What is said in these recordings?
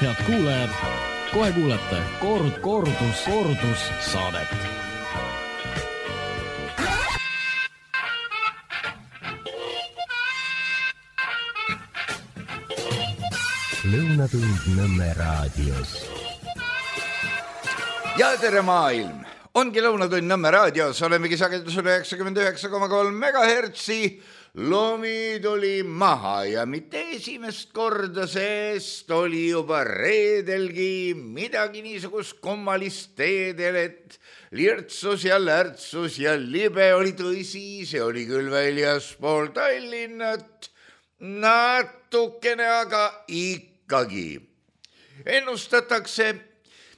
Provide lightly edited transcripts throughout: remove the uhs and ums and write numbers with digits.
Head kuulajad, kohe kuulete kordus saadet. Lõunatund Nõmme raadios. Ja tere maailm! Ongi Lõunatund Nõmme raadios, olemegi sagedusel 99,3 megahertsi. Lomi tuli maha ja mitte esimest korda, sest oli juba reedelgi midagi niisugust kummalist teedel, et lirtsus ja lärtsus ja libe oli tõsi, see oli küll väljaspool Tallinnat, natukene aga ikkagi. Ennustatakse,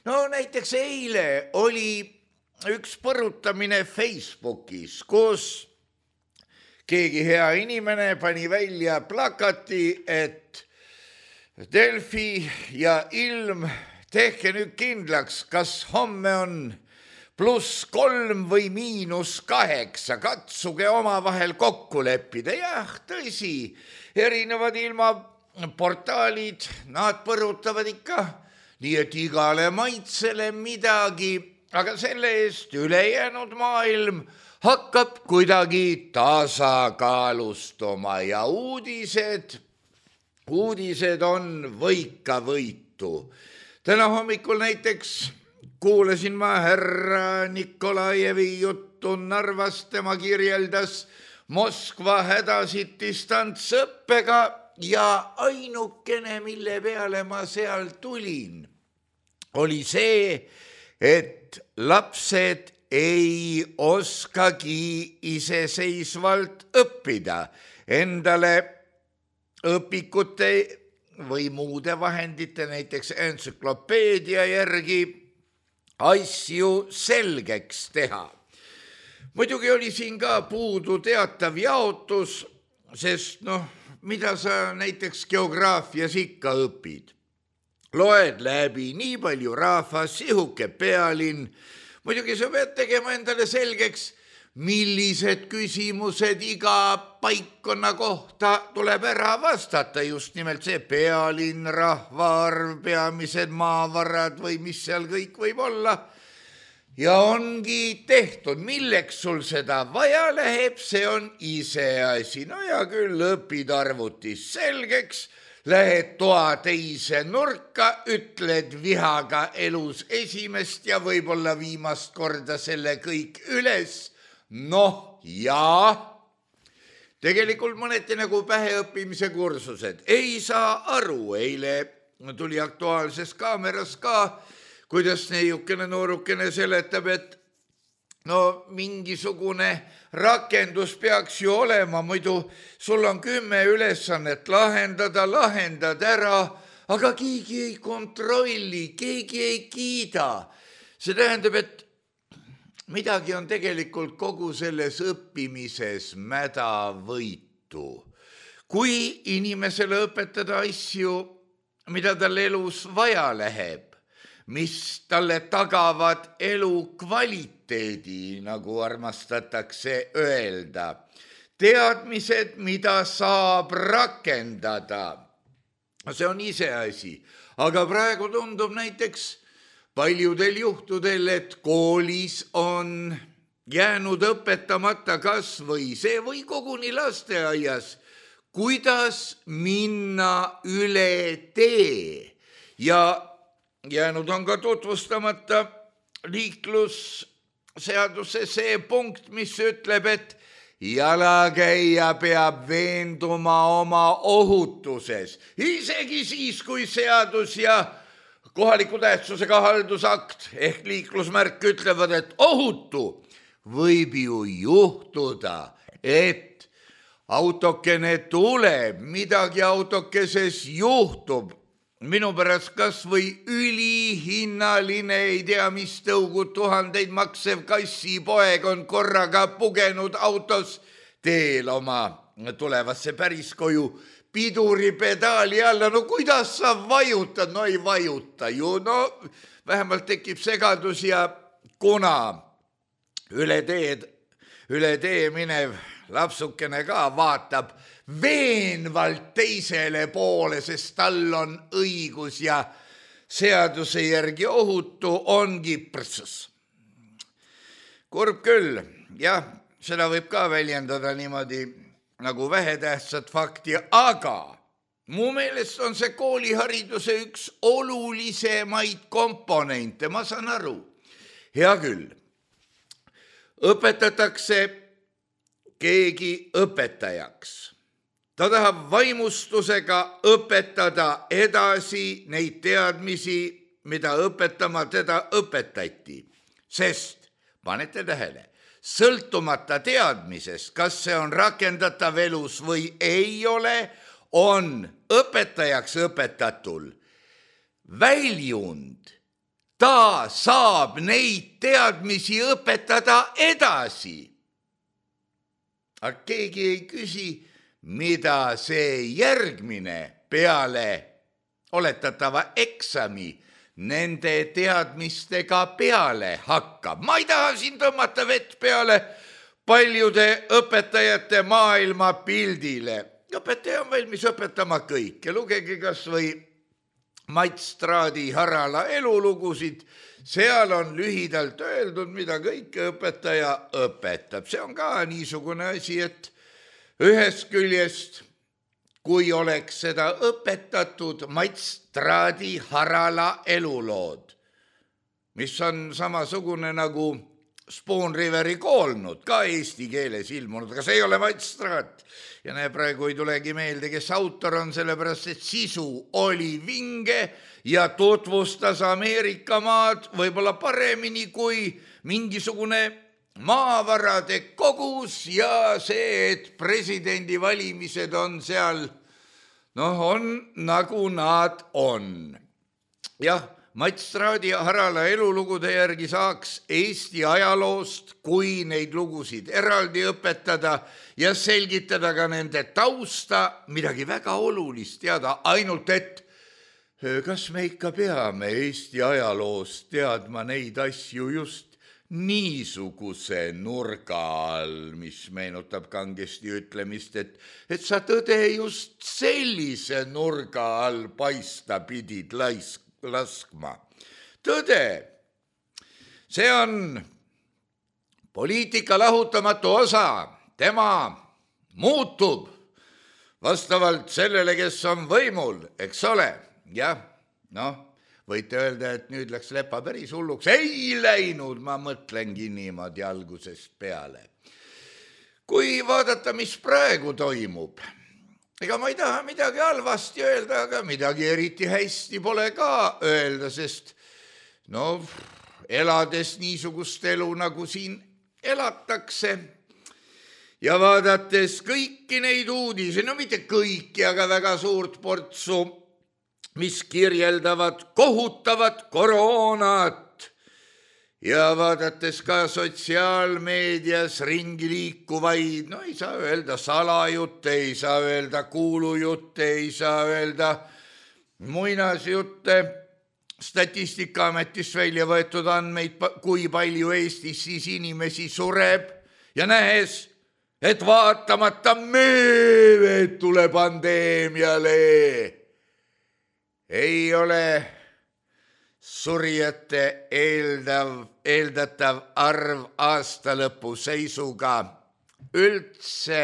näiteks eile oli üks põrutamine Facebookis, kus keegi hea inimene pani välja plakati, et Delfi ja Ilm, tehke nüüd kindlaks, kas homme on +3 või -8, katsuge omavahel kokku leppida. Jah, tõsi, erinevad ilmaportaalid, nad põrutavad ikka, nii et igale maitsele midagi, aga selle eest ülejäänud maailm hakkab kuidagi tasakaalustuma ja uudised on võika-võitu. Täna hommikul näiteks kuulasin ma härra Nikolajevi juttu Narvast, tema kirjeldas Moskva hädasid distantsõppega ja ainukene, mille peale ma seal tulin, oli see, et lapsed ei oskagi iseseisvalt õppida, endale õpikute või muude vahendite, näiteks entsüklopeedia järgi asju selgeks teha. Muidugi oli siin ka puudu teatav jaotus, sest mida sa näiteks geograafias ikka õpid? Loed läbi nii palju rahvas, sihuke pealinn. Muidugi sa pead tegema endale selgeks, millised küsimused iga paikkonna kohta tuleb ära vastata, just nimelt see pealinn, rahvaarv, peamised maavarad või mis seal kõik võib olla. Ja ongi tehtud, milleks sul seda vaja läheb, see on iseasi. Ja küll õpid arvutis selgeks, lähed toa teise nurka, ütled vihaga elus esimest ja võib-olla viimast korda selle kõik üles. Ja tegelikult mõneti nagu päheõppimise kursused. Ei saa aru, eile tuli Aktuaalses Kaameras ka, kuidas neiukene noorukene seletab, et mingisugune rakendus peaks ju olema, muidu sul on 10 ülesannet lahendad ära, aga keegi ei kontrolli, keegi ei kiida. See tähendab, et midagi on tegelikult kogu selles õppimises mädavõitu. Kui inimesele õpetada asju, mida tal elus vaja läheb, mis talle tagavad elu kvaliteedi, nagu armastatakse öelda, teadmised, mida saab rakendada. See on iseasi, aga praegu tundub näiteks paljudel juhtudel, et koolis on jäänud õpetamata kas või see või koguni lasteaias, kuidas minna üle tee ja jäänud on ka tutvustamata liiklusseaduse see punkt, mis ütleb, et jalakäija peab veenduma oma ohutuses. Isegi siis, kui seadus ja kohaliku tähtsusega haldusakt ehk liiklusmärk ütlevad, et ohutu, võib ju juhtuda, et autokene tuleb, midagi autokeses juhtub. Minu pärast kas või ülihinnaline, ei tea mis tõugud, 1000 maksev kassipoeg on korraga pugenud autos teel oma tulevasse päriskoju piduripedaali alla. Kuidas sa vajutad? Ei vajuta ju. Vähemalt tekib segadus ja kuna üle tee minev lapsukene ka vaatab veenvalt teisele poole, sest tal on õigus ja seaduse järgi ohutu, ongi prõssus. Kurb küll, jah, seda võib ka väljendada niimoodi nagu vähetähtsat fakti, aga mu meelest on see koolihariduse üks olulisemaid komponente, ma saan aru. Hea küll, õpetatakse keegi õpetajaks. Ta tahab vaimustusega õpetada edasi neid teadmisi, mida õpetama teda õpetati, sest panete tähele, sõltumata teadmisest, kas see on rakendatav elus või ei ole, on õpetajaks õpetatul väljund. Ta saab neid teadmisi õpetada edasi. Aga keegi ei küsi, mida see järgmine peale oletatava eksami nende teadmistega peale hakkab. Ma ei taha siin tõmmata vett peale paljude õpetajate maailma pildile. Õpetaja on valmis õpetama kõike. Lugege kas või Mats Traadi Harala elulugusid. Seal on lühidalt öeldud, mida kõike õpetaja õpetab. See on ka niisugune asi, et ühest küljest, kui oleks seda õpetatud Mats Traadi Harala elulood, mis on samasugune nagu Spoon Riveri koolnud, ka eesti keeles ilmunud, aga see ei ole Mats Traat. Ja näe, praegu ei tulegi meelde, kes autor on, sellepärast, et sisu oli vinge ja tutvustas Ameerika maad võib-olla paremini kui mingisugune maavarade kogus ja see, et presidendivalimised on seal, on nagu nad on. Jah, Mats Traadi Harala elulugude järgi saaks Eesti ajaloost, kui neid lugusid eraldi õpetada ja selgitada ka nende tausta, midagi väga olulist teada, ainult et kas me ikka peame Eesti ajaloost teadma neid asju just niisuguse nurga all, mis meenutab kangesti ütlemist, et sa tõde just sellise nurga all paista pidid laskma. Tõde, see on poliitika lahutamatu osa, tema muutub vastavalt sellele, kes on võimul, eks ole, jah, võite öelda, et nüüd läks lepa päris hulluks. Ei läinud, ma mõtlengi niimoodi algusest peale. Kui vaadata, mis praegu toimub, ega ma ei taha midagi halvasti öelda, aga midagi eriti hästi pole ka öelda, sest elades niisugust elu, nagu siin elatakse ja vaadates kõiki neid uudisi, mitte kõiki, aga väga suurt portsu, mis kirjeldavad kohutavat koroonat ja vaadates ka sotsiaalmeedias ringi liikuvaid, ei saa öelda salajutte, ei saa öelda kuulujutte, ei saa öelda muinasjutte, Statistikaametist välja võetud andmeid, kui palju Eestis siis inimesi sureb ja nähes, et vaatamata meeletule pandeemiale ei ole surijate eeldatav arv aastalõpu seisuga üldse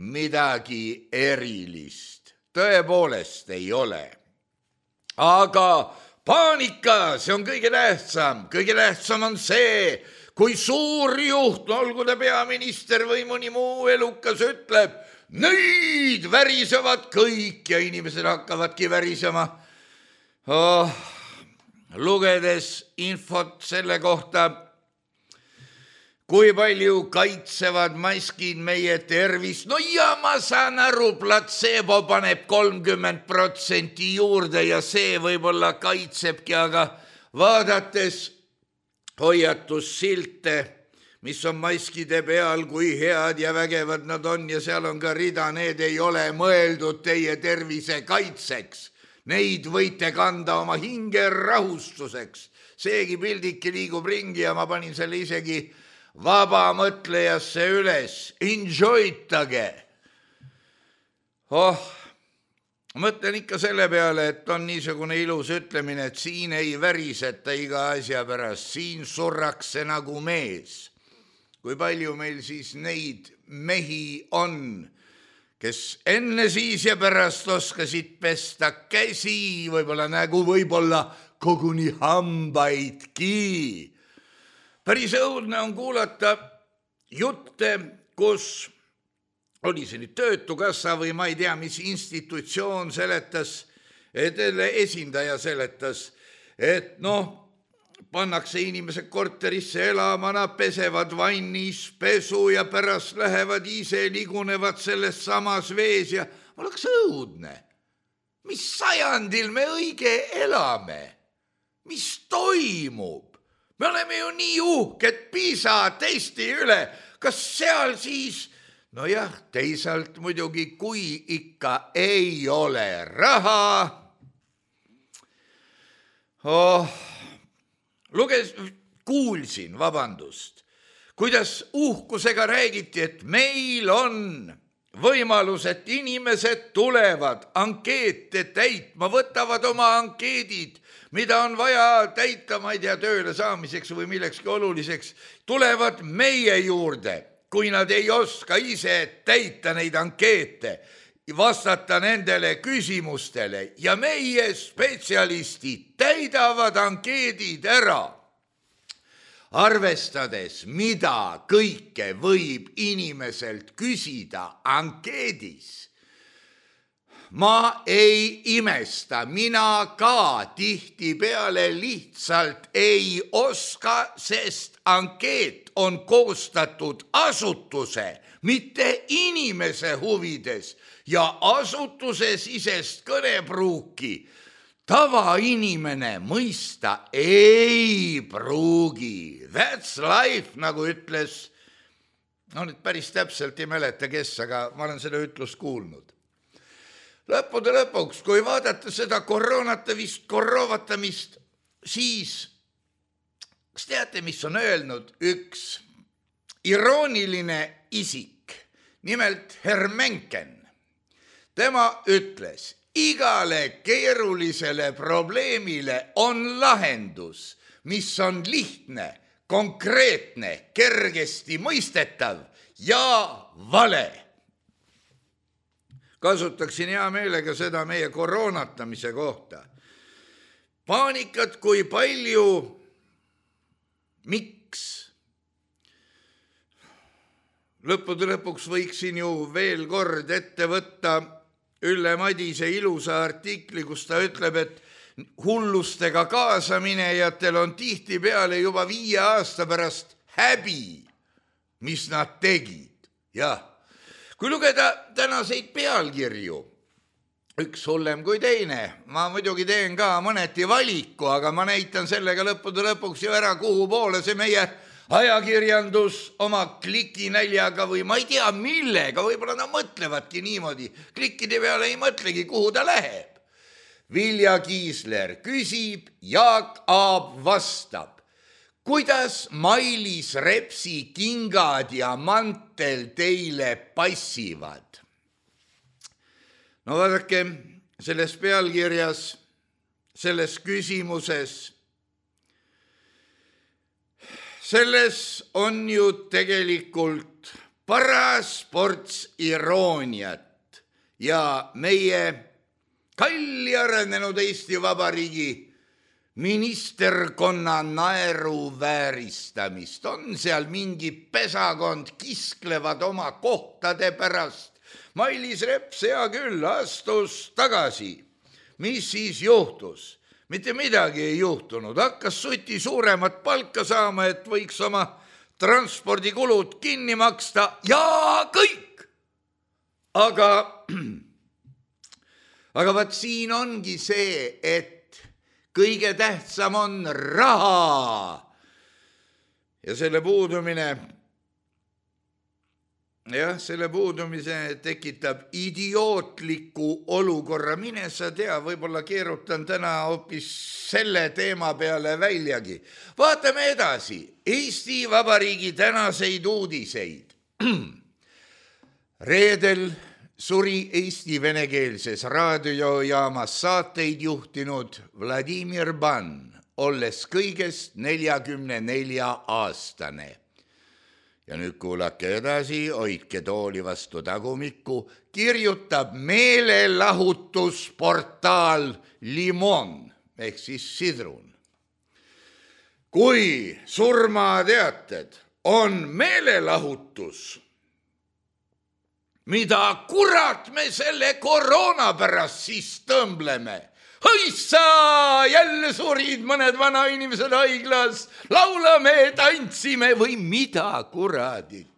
midagi erilist. Tõepoolest ei ole. Aga paanika, see on kõige tähtsam. Kõige tähtsam on see, kui suur juht, olgu ta peaminister või mõni muu elukas, ütleb, nüüd värisevad kõik ja inimesed hakkavadki värisema. Lugedes infot selle kohta, kui palju kaitsevad maskid meie tervist, ja ma saan aru, platseebo paneb 30% juurde ja see võib-olla kaitsebki, aga vaadates hoiatussilte, mis on maskide peal, kui head ja vägevad nad on ja seal on ka rida, need ei ole mõeldud teie tervise kaitseks. Neid võite kanda oma hinge rahustuseks. Seegi pildike liigub ringi ja ma panin selle isegi vaba mõtlejasse üles. Enjoytage. mõtlen ikka selle peale, et on niisugune ilus ütlemine, et siin ei väriseta iga asja pärast, siin surrakse nagu mees. Kui palju meil siis neid mehi on, kes enne siis ja pärast oskasid pesta käsi, võib-olla nägu, võib-olla koguni hambaidki. Päris õudne on kuulata jutte, kus oli see nüüd Töötukassa või ma ei tea, mis institutsioon seletas, esindaja seletas, et pannakse inimesed korterisse elama, nad pesevad vannis pesu ja pärast lähevad ise, ligunevad selles samas vees ja oleks õudne. Mis sajandil me õige elame? Mis toimub? Me oleme ju nii uhked PISA testi üle. Kas seal siis... No jah, teisalt muidugi, kui ikka ei ole raha. Kuulsin, kuidas uhkusega räägiti, et meil on võimalus, et inimesed tulevad ankeete täitma, võtavad oma ankeedid, mida on vaja täita, ma ei tea, tööle saamiseks või millekski oluliseks, tulevad meie juurde. Kui nad ei oska ise täita neid ankeete, vastata nendele küsimustele ja meie spetsialistid täidavad ankeedid ära. Arvestades, mida kõike võib inimeselt küsida ankeedis, ma ei imesta, mina ka tihtipeale lihtsalt ei oska, sest ankeet on koostatud asutuse, mitte inimese huvides ja asutuse sisest kõnepruuki tavainimene mõista ei pruugi. That's life, nagu ütles, nüüd päris täpselt ei mäleta, kes, aga ma olen seda ütlust kuulnud. Lõppude lõpuks, kui vaadata seda koroovatamist, siis kas teate, mis on öelnud üks irooniline isik, nimelt Hermenken? Tema ütles, igale keerulisele probleemile on lahendus, mis on lihtne, konkreetne, kergesti mõistetav ja vale. Kasutaksin hea meelega seda meie koroonatamise kohta. Paanikat kui palju, miks? Lõppude lõpuks võiksin ju veel kord ette võtta Ülle Madise ilusa artikli, kus ta ütleb, et hullustega kaasaminejatel on tihtipeale juba 5 aasta pärast häbi, mis nad tegid. Jah. Kui lugeda tänaseid pealkirju, üks hullem kui teine, ma muidugi teen ka mõneti valiku, aga ma näitan sellega lõppude lõpuks ju ära, kuhu poole see meie ajakirjandus oma klikinäljaga või ma ei tea millega, võib-olla nad mõtlevadki niimoodi, klikkide peale ei mõtlegi, kuhu ta läheb. Vilja Kiisler küsib, Jaak Aab vastab. Kuidas Mailis Repsi kingad ja mantel teile passivad? No vaadake, selles pealkirjas, selles küsimuses, selles on ju tegelikult paras ports irooniat ja meie kalli arenenud Eesti Vabariigi ministerkonna naeru vääristamist. On seal mingi pesakond, kisklevad oma kohtade pärast. Mailis Reps, hea küll, astus tagasi. Mis siis juhtus? Mitte midagi ei juhtunud. Hakkas suti suuremat palka saama, et võiks oma transpordikulud kinni maksta ja kõik. Aga vaat siin ongi see, et kõige tähtsam on raha ja selle puudumise tekitab idiootliku olukorra. Mine sa tea, võib-olla keerutan täna hoopis selle teema peale väljagi. Vaatame edasi Eesti Vabariigi tänaseid uudiseid. Reedel suri Eesti venekeelses raadiojaamas saateid juhtinud Vladimir Ban, olles kõigest 44-aastane. Ja nüüd kuulake edasi, hoidke tooli vastu tagumikku, kirjutab meelelahutusportaal Limon ehk siis sidrun. Kui surmateated on meelelahutus, mida kurat me selle koroona pärast siis tõmbleme? Hõissa, jälle surid mõned vanainimesed haiglas, laulame, tantsime või mida kuradit.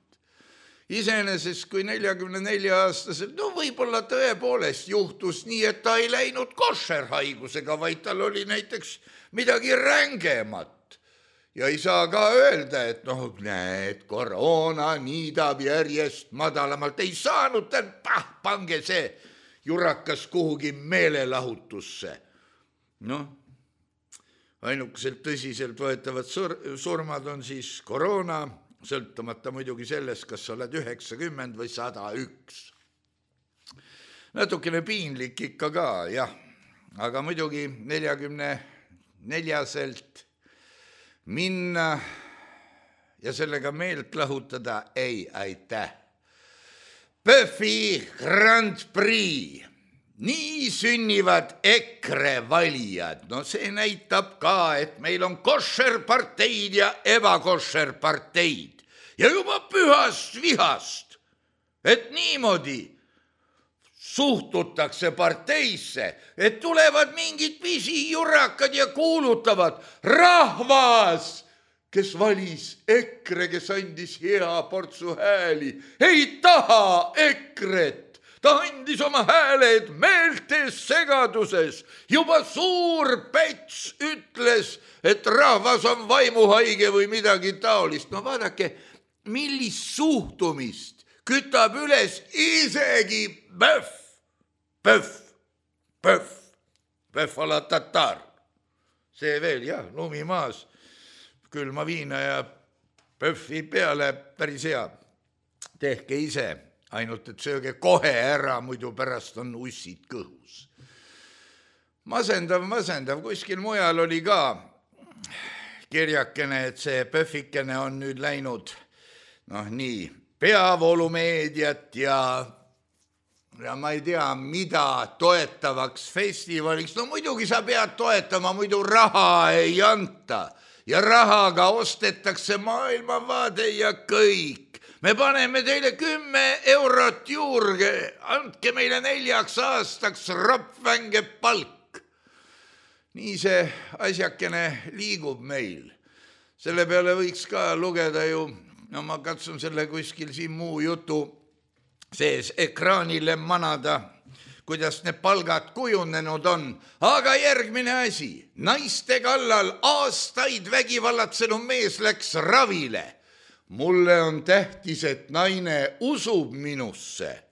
Iseenesest kui 44-aastaselt, võib-olla tõepoolest juhtus nii, et ta ei läinud koššerhaigusega, vaid tal oli näiteks midagi rängemat. Ja ei saa ka öelda, et näed, koroona niidab järjest madalamalt. Ei saanud tal, pange see jurakas kuhugi meelelahutusse. Ainukeselt tõsiselt võetavad surmad on siis koroona, sõltumata muidugi sellest, kas sa oled 90 või 101. Natukene piinlik ikka ka, jah. Aga muidugi 44-selt minna ja sellega meelt lahutada ei aitäh. PÖFFi Grand Prix. Nii sünnivad EKRE valijad. See näitab ka, et meil on koššerparteid ja ebakoššerparteid. Ja juba pühast vihast, et niimoodi suhtutakse parteisse, et tulevad mingid pisijurakad ja kuulutavad rahvas, kes valis EKRE, kes andis hea portsu hääli, ei taha EKRE-t. Ta andis oma hääled meeltes segaduses. Juba suur Päts ütles, et rahvas on vaimuhaige või midagi taolist. Vaadake, millist suhtumist kütab üles isegi PÖFF a la tatar. See veel, jah, lumi maas, külma viina ja PÖFFi peale päris hea. Tehke ise, ainult et sööge kohe ära, muidu pärast on ussid kõhus. Masendav, kuskil mujal oli ka kirjakene, et see PÖFFikene on nüüd läinud nii peavoolumeediat ja ma ei tea, mida toetavaks festivaliks. Muidugi sa pead toetama, muidu raha ei anta. Ja rahaga ostetakse maailmavaade ja kõik. Me paneme teile 10 eurot juurde, andke meile 4 aastaks rapvänge palk. Nii see asjakene liigub meil. Selle peale võiks ka lugeda ju, ma katsun selle kuskil siin muu jutu sees ekraanile manada, kuidas need palgad kujunenud on. Aga järgmine asi, naiste kallal aastaid vägivallatsenu mees läks ravile. Mulle on tähtis, et naine usub minusse.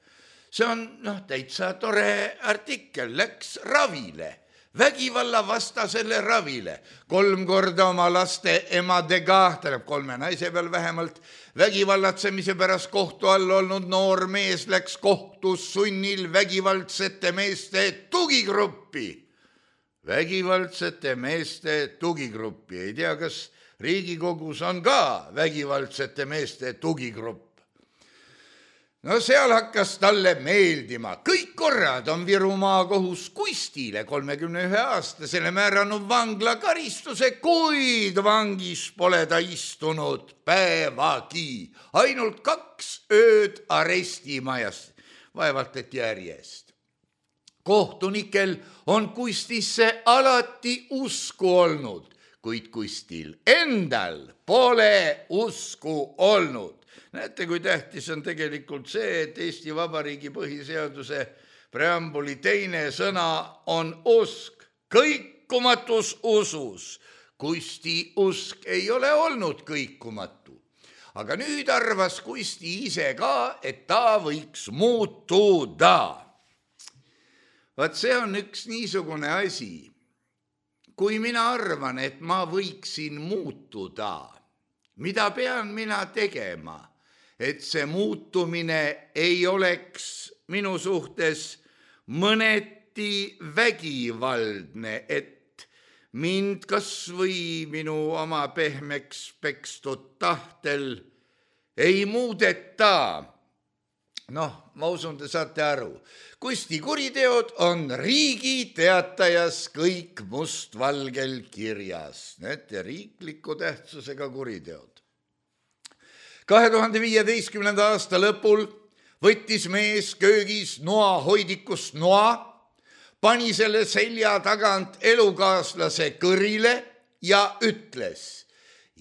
See on täitsa tore artikkel, läks ravile. Vägivalla vastasele ravile. 3 korda oma laste emadega, 3 naise peal vähemalt, vägivallatsemise pärast kohtu all olnud noor mees läks kohtus sunnil vägivaldsete meeste tugigruppi. Vägivaldsete meeste tugigruppi. Ei tea, kas Riigikogus on ka vägivaldsete meeste tugigrupp. Seal hakkas talle meeldima. Kõik korrad on Viru maakohus Kustile 31-aastasele määranud vanglakaristuse, kuid vangis pole ta istunud päevagi. Ainult 2 ööd arestimajas, vaevalt et järjest. Kohtunikel on Kustisse alati usku olnud, kuid Kustil endal pole usku olnud. Näete, kui tähtis on tegelikult see, et Eesti Vabariigi põhiseaduse preambuli 2. sõna on usk. Kõikumatus usus. Kusti usk ei ole olnud kõikumatu. Aga nüüd arvas Kusti ise ka, et ta võiks muutuda. Vaat see on üks niisugune asi. Kui mina arvan, et ma võiksin muutuda, mida pean mina tegema? Et see muutumine ei oleks minu suhtes mõneti vägivaldne, et mind kas või minu oma pehmeks pekstud tahtel ei muudeta. Noh, ma usun, te saate aru. Kusti kuriteod on Riigi Teatajas kõik mustvalgel kirjas. Need riikliku tähtsusega kuriteod. 2015. aasta lõpul võttis mees köögis noahoidikust noa, pani selle selja tagant elukaaslase kõrile ja ütles: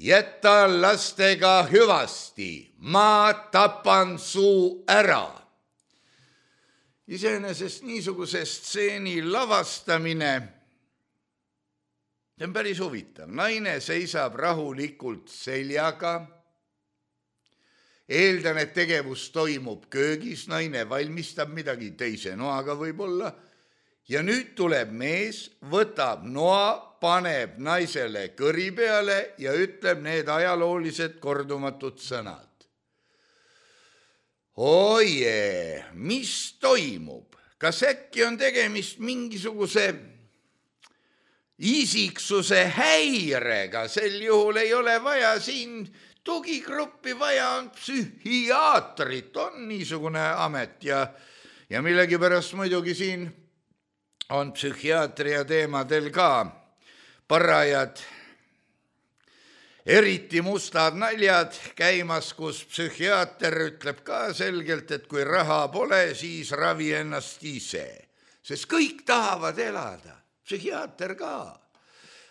jäta lastega hüvasti, ma tapan su ära. Iseenesest niisuguse stseeni lavastamine, see on päris huvitav. Naine seisab rahulikult seljaga. Eeldan, et tegevus toimub köögis, naine valmistab midagi teise noaga võib-olla. Ja nüüd tuleb mees, võtab noa, paneb naisele kõri peale ja ütleb need ajaloolised kordumatud sõnad. Oje, mis toimub? Kas äkki on tegemist mingisuguse isiksuse häirega? Sel juhul ei ole vaja siin tugigruppi, vaja on psühhiaatrit, on niisugune amet ja millegipärast muidugi siin on psühhiaatria teemadel ka parajad, eriti mustad naljad käimas, kus psühhiaater ütleb ka selgelt, et kui raha pole, siis ravi ennast ise. Sest kõik tahavad elada, psühhiaater ka.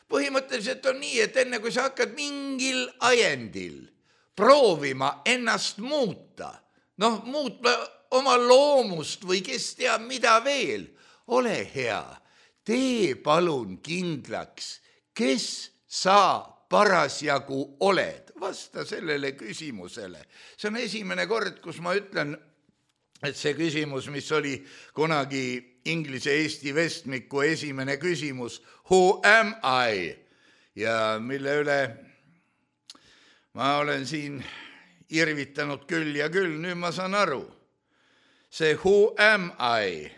Põhimõtteliselt on nii, et enne kui sa hakkad mingil ajendil proovima ennast muuta, muutma oma loomust või kes teab mida veel, ole hea, tee palun kindlaks, kes sa parasjagu oled. Vasta sellele küsimusele. See on esimene kord, kus ma ütlen, et see küsimus, mis oli kunagi Inglise-Eesti vestmiku esimene küsimus, who am I? Ja mille üle ma olen siin irvitanud küll ja küll, nüüd ma saan aru. See who am I?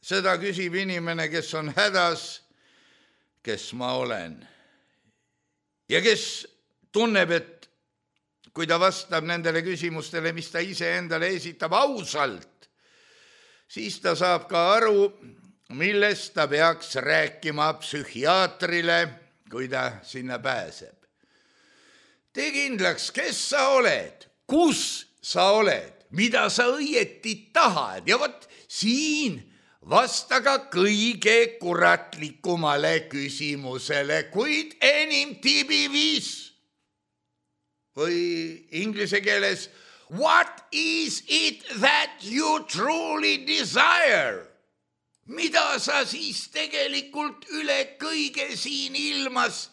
Seda küsib inimene, kes on hädas, kes ma olen. Ja kes tunneb, et kui ta vastab nendele küsimustele, mis ta ise endale esitab ausalt, siis ta saab ka aru, millest ta peaks rääkima psühhiaatrile, kui ta sinna pääseb. Tee kindlaks, kes sa oled, kus sa oled, mida sa õieti tahad ja vot siin vasta ka kõige kuratlikumale küsimusele, kuid enim tibivis. Või inglise keeles, what is it that you truly desire? Mida sa siis tegelikult üle kõige siin ilmas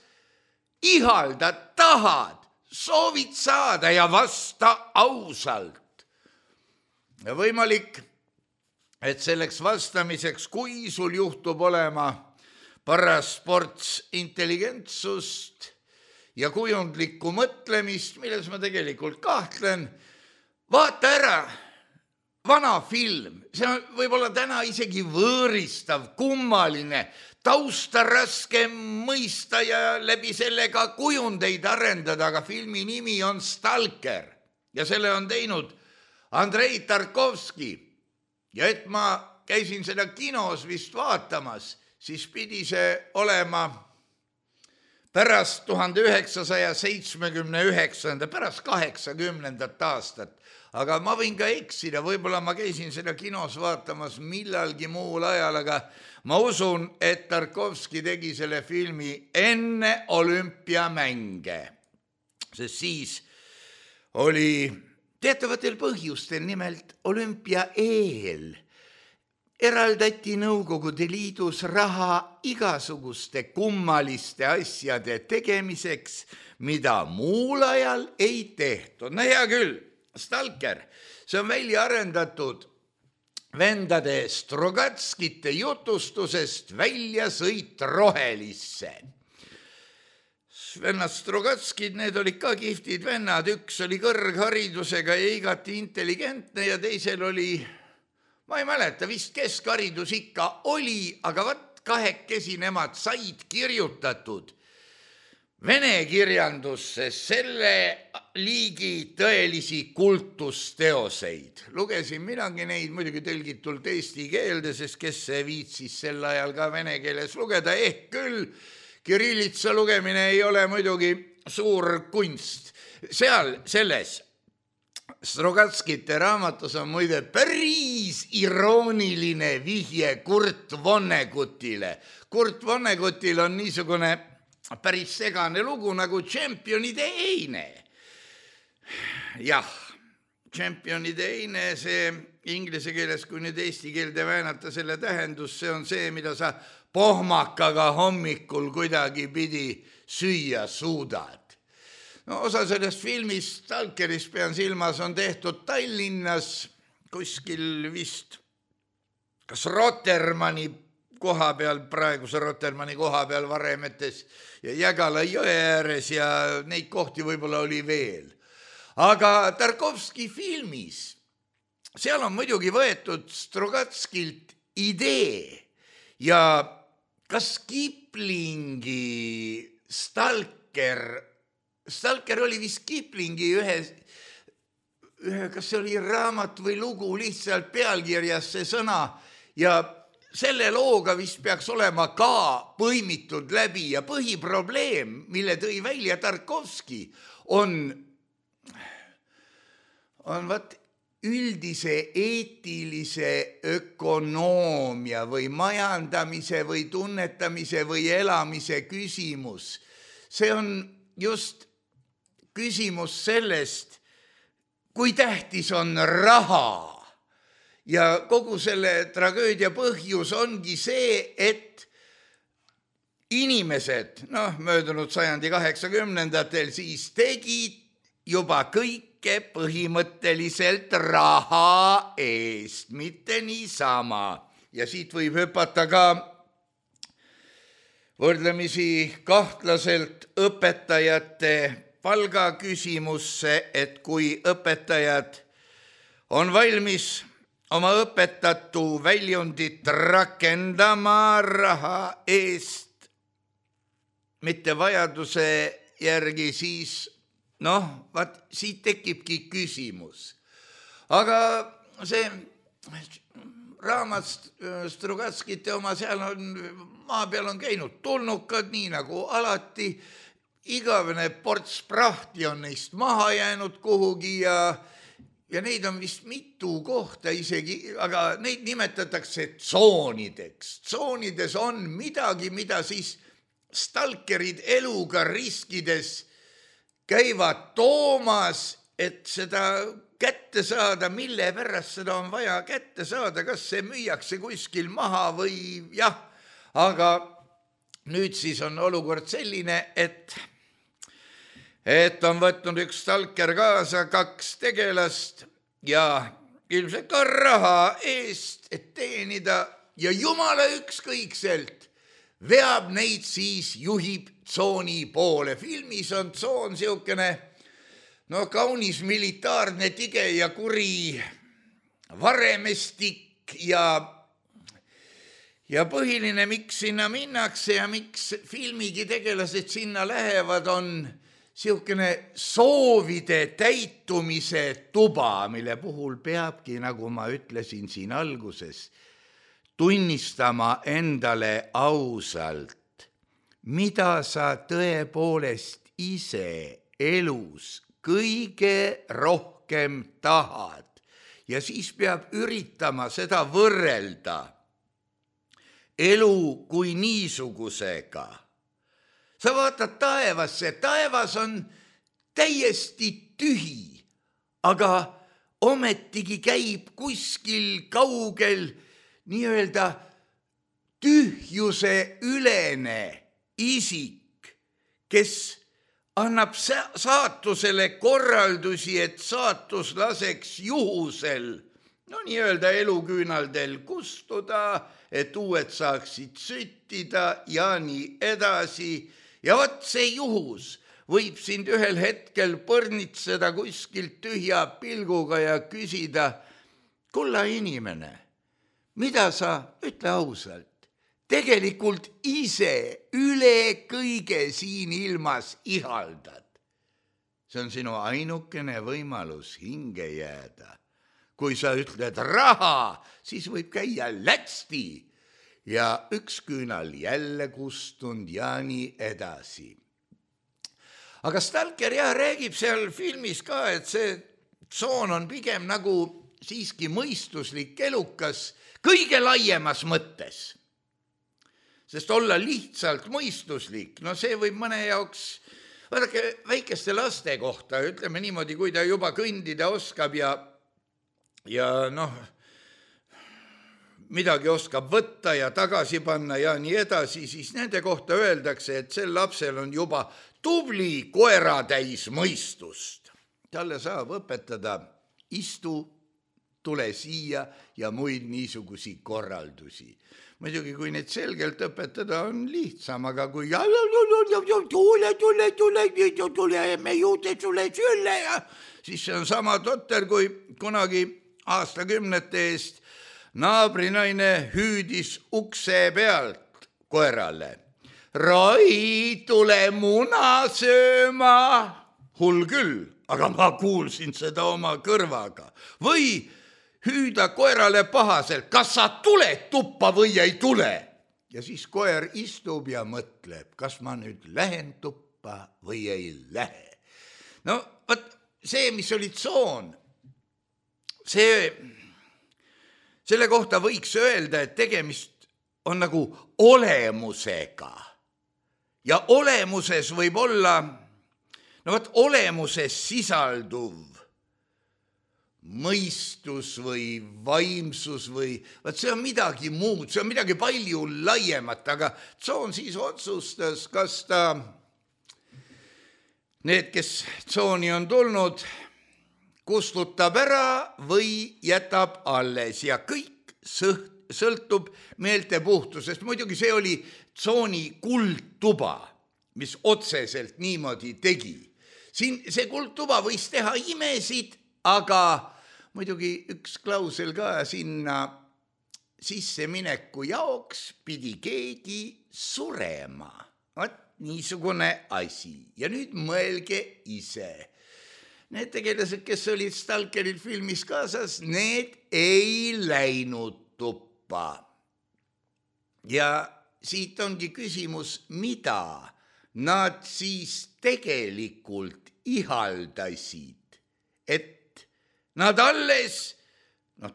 ihaldad, tahad, soovid saada ja vasta ausalt. Ja võimalik, et selleks vastamiseks, kui sul juhtub olema paras ports intelligentsust ja kujundlikku mõtlemist, milles ma tegelikult kahtlen, vaata ära vana film. See on võib-olla täna isegi võõristav, kummaline, tausta raske mõista ja läbi sellega kujundeid arendada, aga filmi nimi on Stalker ja selle on teinud Andrei Tarkovski. Ja et ma käisin seda kinos vist vaatamas, siis pidi see olema pärast 1979, pärast 80. aastat. Aga ma võin ka eksida, võib-olla ma käisin seda kinos vaatamas millalgi muul ajal, aga ma usun, et Tarkovski tegi selle filmi enne olümpiamänge. Sest siis oli teatavatel põhjustel, nimelt olümpia eel, eraldati Nõukogude Liidus raha igasuguste kummaliste asjade tegemiseks, mida muul ajal ei tehtud. No hea küll, Stalker, see on välja arendatud vendade Strogatskite jutustusest Väljasõit rohelisse. Vennad Strogatskid, need olid ka kihvtid vennad, üks oli kõrgharidusega ja igati intelligentne ja teisel oli ma ei mäleta, vist keskharidus ikka oli, aga vaat kahekesi nemad said kirjutatud vene kirjandusse selle liigi tõelisi kultusteoseid. Lugesin minagi neid muidugi tõlgitult eesti keelde, sest kes see viitsis sel ajal ka vene keeles lugeda, ehk küll kirillitsa lugemine ei ole muidugi suur kunst. Seal selles Strogatskite raamatus on muide päris irooniline vihje Kurt Vonnegutile. Kurt Vonnegutil on niisugune päris segane lugu nagu Tšempionide eine. Jah, Tšempionide eine, see inglise keeles, kui nüüd eesti keelde väänata selle tähendus, see on see, mida sa pohmakaga hommikul kuidagi pidi süüa suudad. No, osa sellest filmist, Stalkerist pean silmas, on tehtud Tallinnas kuskil vist kas Rotermanni koha peal, praeguse Rotermanni koha peal Varemetes ja Jägala jõe ääres ja neid kohti võib-olla oli veel. Aga Tarkovski filmis, seal on muidugi võetud Strogatskilt idee ja kas Kiplingi Stalker oli vist Kiplingi ühe, kas see oli raamat või lugu, lihtsalt pealkirjas see sõna ja selle looga vist peaks olema ka põimitud läbi ja põhiprobleem, mille tõi välja Tarkovski, on vaat üldise eetilise ökonoomia või majandamise või tunnetamise või elamise küsimus. See on just küsimus sellest, kui tähtis on raha. Ja kogu selle tragöödia põhjus ongi see, et inimesed, möödunud sajandi 80-ndatel siis tegid juba kõike põhimõtteliselt raha eest, mitte niisama. Ja siit võib hüpata ka võrdlemisi kahtlaselt õpetajate palgaküsimusse, et kui õpetajad on valmis oma õpetatu väljundit rakendama raha eest, mitte vajaduse järgi, siis vaat siit tekibki küsimus. Aga see raamat Strogatskite oma, seal on, maa peal on käinud tulnukad, nii nagu alati, igavene ports prahti on neist maha jäänud kuhugi ja neid on vist mitu kohta isegi, aga neid nimetatakse tsoonideks. Tsoonides on midagi, mida siis stalkerid eluga riskides käivad toomas, et seda kätte saada, mille pärast seda on vaja kätte saada, kas see müüakse kuskil maha või jah, aga nüüd siis on olukord selline, et on võtnud üks stalker kaasa 2 tegelast ja ilmselt ka raha eest, et teenida ja jumala ükskõikselt veab neid siis, juhib tsooni poole. Filmis on tsoon siukene, kaunis militaarne, tige ja kuri varemestik ja põhiline, miks sinna minnakse ja miks filmigi tegelased sinna lähevad, on siukene soovide täitumise tuba, mille puhul peabki, nagu ma ütlesin siin alguses, tunnistama endale ausalt, mida sa tõepoolest ise elus kõige rohkem tahad. Ja siis peab üritama seda võrrelda elu kui niisugusega. Sa vaatad taevasse, taevas on täiesti tühi, aga ometigi käib kuskil kaugel nii-öelda tühjuse ülene isik, kes annab saatusele korraldusi, et saatus laseks juhusel, nii-öelda eluküünaldel kustuda, et uued saaksid süttida ja nii edasi. Ja vot see juhus võib sind ühel hetkel põrnitseda kuskilt tühja pilguga ja küsida, kulla inimene, mida sa, ütle ausalt, tegelikult ise üle kõige siin ilmas ihaldad. See on sinu ainukene võimalus hinge jääda. Kui sa ütled raha, siis võib käia lätsti ja üks küünal jälle kustunud ja nii edasi. Aga Stalker räägib seal filmis ka, et see tsoon on pigem nagu siiski mõistuslik elukas kõige laiemas mõttes. Sest olla lihtsalt mõistuslik, no see võib mõne jaoks, vaadake väikeste laste kohta, ütleme niimoodi, kui ta juba kõndida oskab ja midagi oskab võtta ja tagasi panna ja nii edasi, siis nende kohta öeldakse, et sel lapsel on juba tubli koeratäis mõistust. Talle saab õpetada istu, tule siia ja muid niisugusi korraldusi. Muidugi, kui neid selgelt õpetada, on lihtsam, aga kui tule, me juurde sulle sülle ja siis see on sama totter, kui kunagi aastakümnete eest naabrinaine hüüdis ukse pealt koerale. Rai, tule muna sööma. Hull küll, aga ma kuulsin seda oma kõrvaga. Või hüüda koerale pahaselt, kas sa tuled tuppa või ei tule? Ja siis koer istub ja mõtleb, kas ma nüüd lähen tuppa või ei lähe. No, võt, see, mis oli tsoon, selle kohta võiks öelda, et tegemist on nagu olemusega. Ja olemuses võib olla, olemuses sisalduv mõistus või vaimsus või, see on midagi muud, see on midagi palju laiemat, aga tsoon siis otsustas, kas ta, need, kes tsooni on tulnud, kustutab ära või jätab alles ja kõik sõltub meeltepuhtusest. Muidugi see oli tsooni kuldtuba, mis otseselt niimoodi tegi. Siin see kuldtuba võis teha imesid, aga muidugi üks klausel ka sinna sissemineku jaoks pidi keegi surema. Vaat niisugune asi. Ja nüüd mõelge ise. Need tegelased, kes olid Stalkeril filmis kaasas, need ei läinud tuppa. Ja siit ongi küsimus, mida nad siis tegelikult ihaldasid, et nad alles,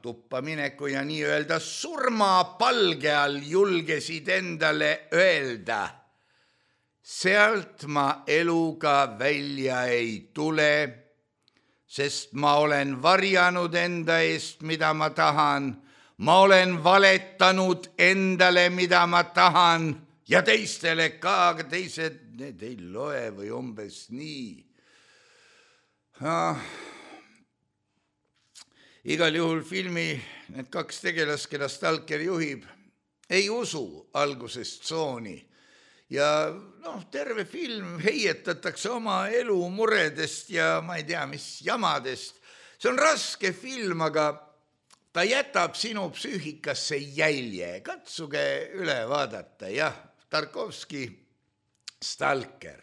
tuppa mineku ja nii-öelda surmapalge all julgesid endale öelda, sealt ma eluga välja ei tule, sest ma olen varjanud enda eest, mida ma tahan, ma olen valetanud endale, mida ma tahan ja teistele ka, aga teised, need ei loe või umbes nii. Igal juhul filmi need kaks tegelast, keda Stalker juhib, ei usu algusest tsooni. Ja terve film heietatakse oma elu muredest ja ma ei tea, mis jamadest. See on raske film, aga ta jätab sinu psüühikasse jälje. Katsuge üle vaadata, jah, Tarkovski, Stalker.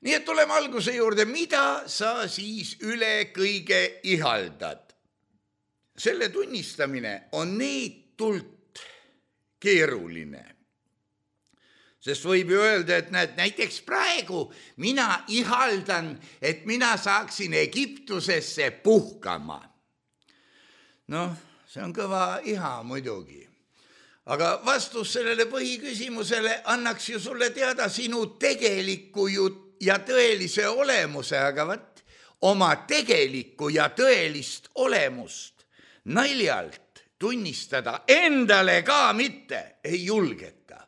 Nii et tuleme alguse juurde, mida sa siis üle kõige ihaldad? Selle tunnistamine on neetult keeruline. Sest võib ju öelda, et näiteks praegu mina ihaldan, et mina saaksin Egiptusesse puhkama. See on kõva iha muidugi. Aga vastus sellele põhiküsimusele annaks ju sulle teada sinu tegeliku ja tõelise olemuse, aga oma tegelikku ja tõelist olemust naljalt tunnistada endale ka mitte ei julgeta.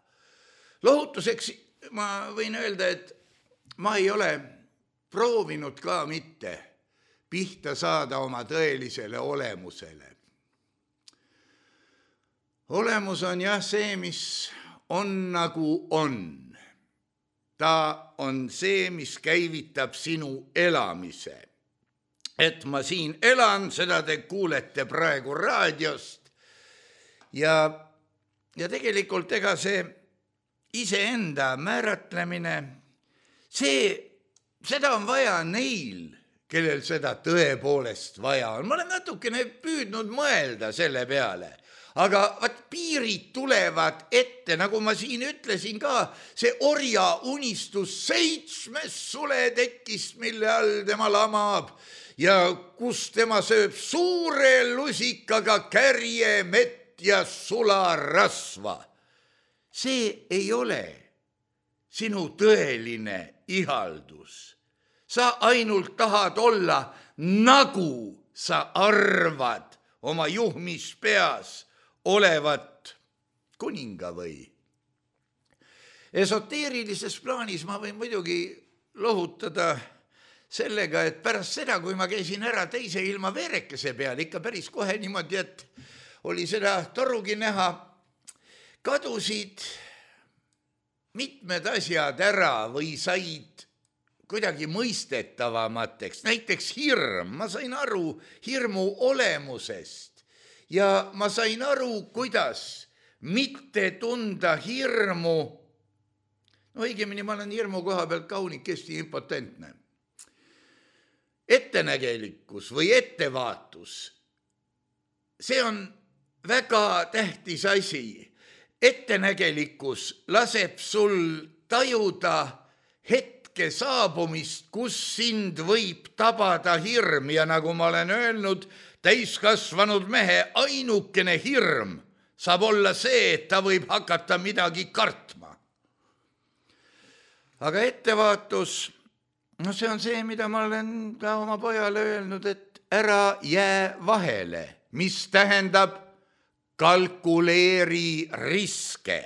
Lohutuseks ma võin öelda, et ma ei ole proovinud ka mitte pihta saada oma tõelisele olemusele. Olemus on jah see, mis on nagu on. Ta on see, mis käivitab sinu elamise. Et ma siin elan, seda te kuulete praegu raadiost ja tegelikult ega see iseenda määratlemine, seda on vaja neil, kellel seda tõepoolest vaja on. Ma olen natukene püüdnud mõelda selle peale, aga piirid tulevad ette, nagu ma siin ütlesin ka, see orja unistus 7 suletekist, mille all tema lamab ja kus tema sööb suure lusikaga kärjemett ja sularasva. See ei ole sinu tõeline ihaldus. Sa ainult tahad olla, nagu sa arvad oma juhmis peas olevat kuninga või. Esoteerilises plaanis ma võin muidugi lohutada sellega, et pärast seda, kui ma käisin ära teise ilma veerekese peal, ikka päris kohe niimoodi, et oli seda torugi näha, kadusid mitmed asjad ära või said kuidagi mõistetavamateks, näiteks hirm, ma sain aru hirmu olemusest ja ma sain aru, kuidas mitte tunda hirmu, no õigemini ma olen hirmu koha pealt kaunikesti impotentne. Ettenägelikkus või ettevaatus, see on väga tähtis asi. Ettenägelikkus laseb sul tajuda hetke saabumist, kus sind võib tabada hirm ja nagu ma olen öelnud, täiskasvanud mehe ainukene hirm saab olla see, et ta võib hakata midagi kartma. Aga ettevaatus, no see on see, mida ma olen ka oma pojale öelnud, et ära jää vahele, mis tähendab kalkuleeri riske.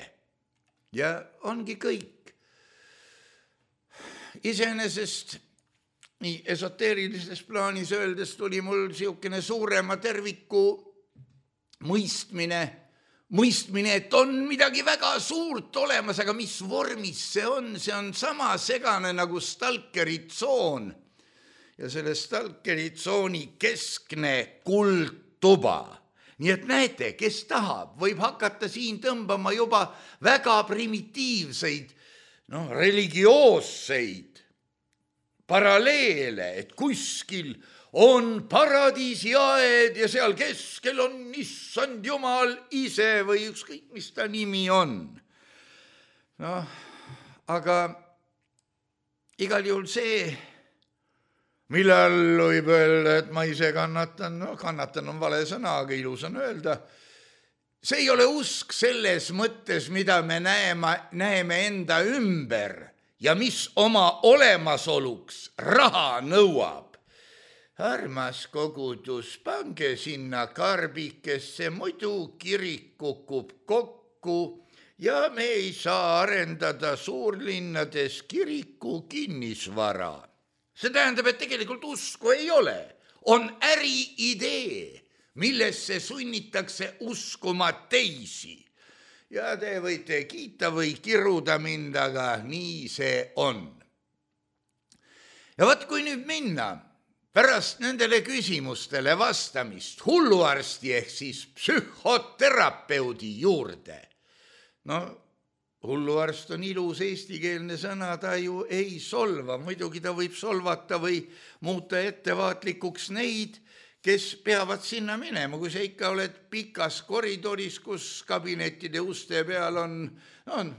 Ja ongi kõik. Iseenesest nii esoteerilises plaanis öeldes tuli mul siukene suurema terviku mõistmine, et on midagi väga suurt olemas, aga mis vormis see on sama segane nagu stalkeri tsoon ja selle stalkeri tsooni keskne kuldtuba. Nii et näete, kes tahab, võib hakata siin tõmbama juba väga primitiivseid, religioosseid paralleele, et kuskil on paradiisiaed ja seal keskel on issand jumal ise või ükskõik, mis ta nimi on. Aga igal juhul see, mille all võib öelda, et ma ise kannatan, kannatan on vale sõna, aga ilus on öelda, see ei ole usk selles mõttes, mida me näeme enda ümber ja mis oma olemasoluks raha nõuab. Armas kogudus, pange sinna karbikesse, muidu kirik kukub kokku ja me ei saa arendada suurlinnades kiriku kinnisvara. See tähendab, et tegelikult usku ei ole. On äriidee, millesse sunnitakse uskuma teisi. Ja te võite kiita või kiruda mind, aga nii see on. Ja vaat kui nüüd minna pärast nendele küsimustele vastamist hulluarsti ehk siis psühhoterapeudi juurde. Hulluarst on ilus eestikeelne sõna, ta ju ei solva, muidugi ta võib solvata või muuta ettevaatlikuks neid, kes peavad sinna minema, kui sa ikka oled pikas koridoris, kus kabinettide uste peal on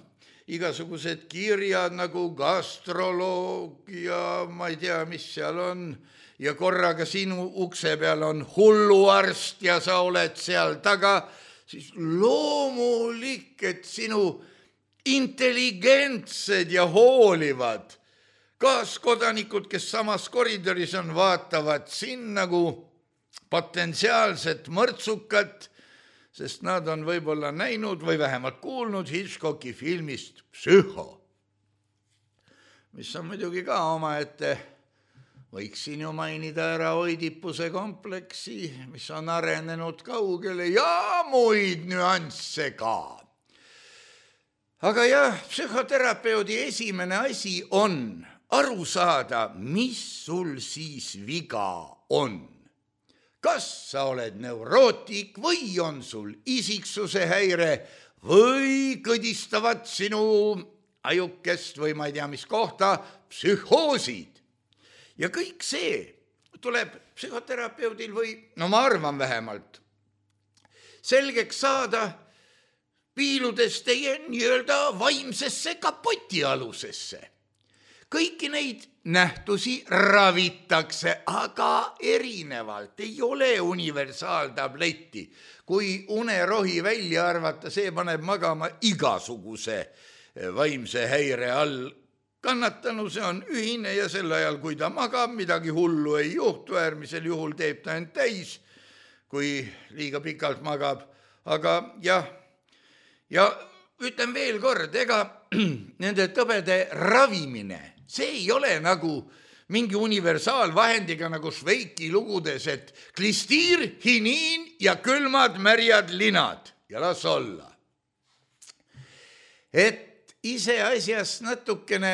igasugused kirjad nagu gastroloog ja ma ei tea, mis seal on, ja korraga sinu ukse peal on hulluarst ja sa oled seal taga, siis loomulik, et sinu intelligentsed ja hoolivad kaaskodanikud, kes samas koridoris on, vaatavad siin nagu potentsiaalset mõrtsukat, sest nad on võib-olla näinud või vähemalt kuulnud Hitchcocki filmist Psühho, mis on muidugi ka omaette, võiksin ju mainida ära Oidipuse kompleksi, mis on arenenud kaugele ja muid nüansse ka. Aga jah, psühhoterapeudi esimene asi on aru saada, mis sul siis viga on. kas sa oled neurootik või on sul isiksuse häire või kõdistavad sinu ajukest või ma ei tea, mis kohta psühhoosid. Ja kõik see tuleb psühhoterapeudil või, no ma arvan vähemalt, selgeks saada piiludes teie nii-öelda vaimsesse kapotialusesse. Kõiki neid nähtusi ravitakse, aga erinevalt, ei ole universaaltabletti. Kui unerohi välja arvata, see paneb magama igasuguse vaimse häire all. Kannatanu, see on ühine ja sel ajal, kui ta magab, midagi hullu ei juhtu, äärmisel juhul teeb ta end täis, kui liiga pikalt magab. Aga jah, ja ütlen veel kord, ega nende tõbede ravimine, see ei ole nagu mingi universaalvahendiga nagu Šveiki lugudes, et klistiir, hiniin ja külmad märjad linad ja las olla. Et ise asjast natukene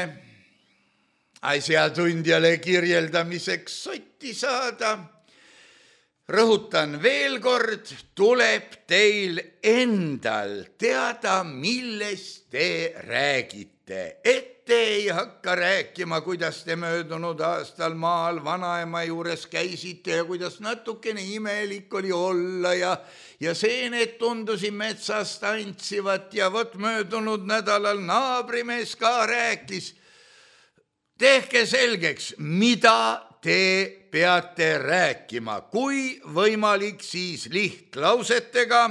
asjatundjale kirjeldamiseks sotti saada, rõhutan veel kord, tuleb teil endal teada, millest te räägite. Et te ei hakka rääkima, kuidas te möödunud aastal maal vanaema juures käisite ja kuidas natukene imelik oli olla ja seened tundusid metsas tantsivat ja vot möödunud nädalal naabrimees ka rääkis. Tehke selgeks, mida te peate rääkima, kui võimalik, siis lihtlausetega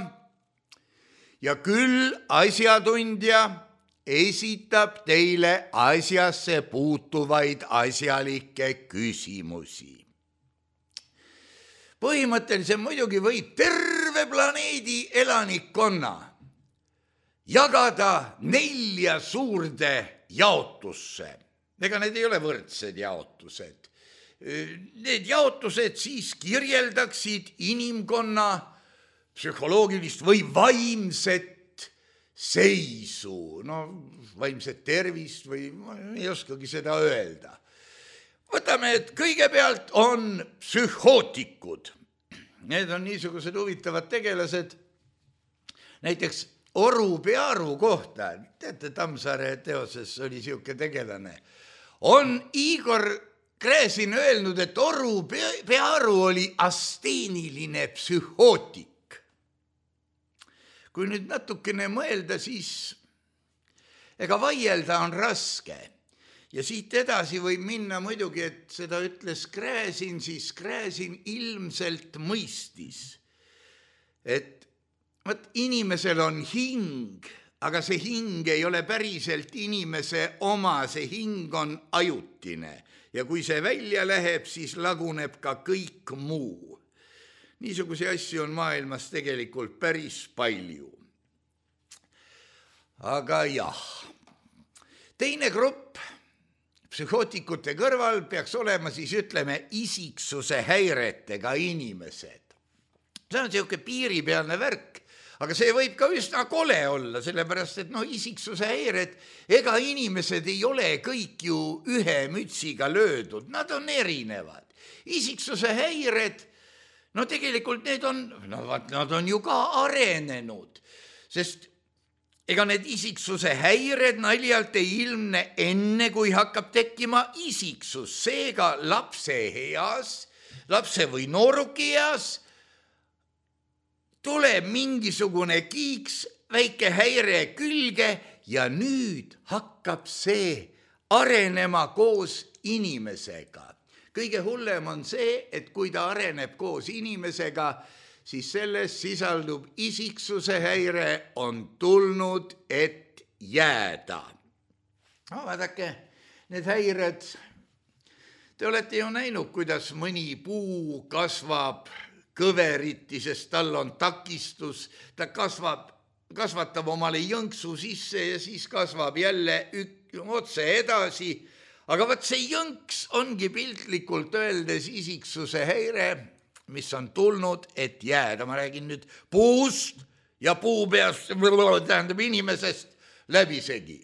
ja küll asjatundja esitab teile asjasse puutuvaid asjalikke küsimusi. Põhimõtteliselt muidugi võib terve planeedi elanikkonna jagada 4 suurde jaotusse. Ega need ei ole võrdsed jaotused. Need jaotused siis kirjeldaksid inimkonna psühholoogilist või vaimset seisu, no vaimset tervist või ma ei oskagi seda öelda. Võtame, et kõigepealt on psühhootikud. Need on niisugused huvitavad tegelased, näiteks Oru Pearu kohta, teate, Tammsaare teoses oli siuke tegelane, on Igor Gräzin öelnud, et Oru Pearu oli asteeniline psühhootik. Kui nüüd natukene mõelda, siis ega vaielda on raske. Ja siit edasi võib minna muidugi, et seda ütles Gräzin, siis Gräzin ilmselt mõistis, et võt, inimesel on hing, aga see hing ei ole päriselt inimese oma, see hing on ajutine. Ja kui see välja läheb, siis laguneb ka kõik muu. Niisuguse asju on maailmas tegelikult päris palju. Aga jah, teine grupp psühhootikute kõrval peaks olema siis, ütleme, isiksuse häiretega inimesed. See on siuke piiripealne värk, aga see võib ka üsna kole olla, sellepärast, et isiksuse häired, ega inimesed ei ole kõik ju ühe mütsiga löödud, nad on erinevad. Isiksuse häired, no tegelikult nad on ju ka arenenud, sest ega need isiksuse häired naljalt ei ilmne enne, kui hakkab tekkima isiksus. Seega lapse või nooruki eas tuleb mingisugune kiiks, väike häire külge ja nüüd hakkab see arenema koos inimesega. Kõige hullem on see, et kui ta areneb koos inimesega, siis selles sisaldub isiksuse häire on tulnud, et jääda. No, vaadake, need häired, te olete ju näinud, kuidas mõni puu kasvab kõveriti, sest tal on takistus, ta kasvatab omale jõnksu sisse ja siis kasvab jälle otse edasi. Aga võt see jõnks ongi piltlikult öeldes isiksuse häire, mis on tulnud, et jääda. Ma räägin nüüd puust ja puupeast, tähendab inimesest läbisegi.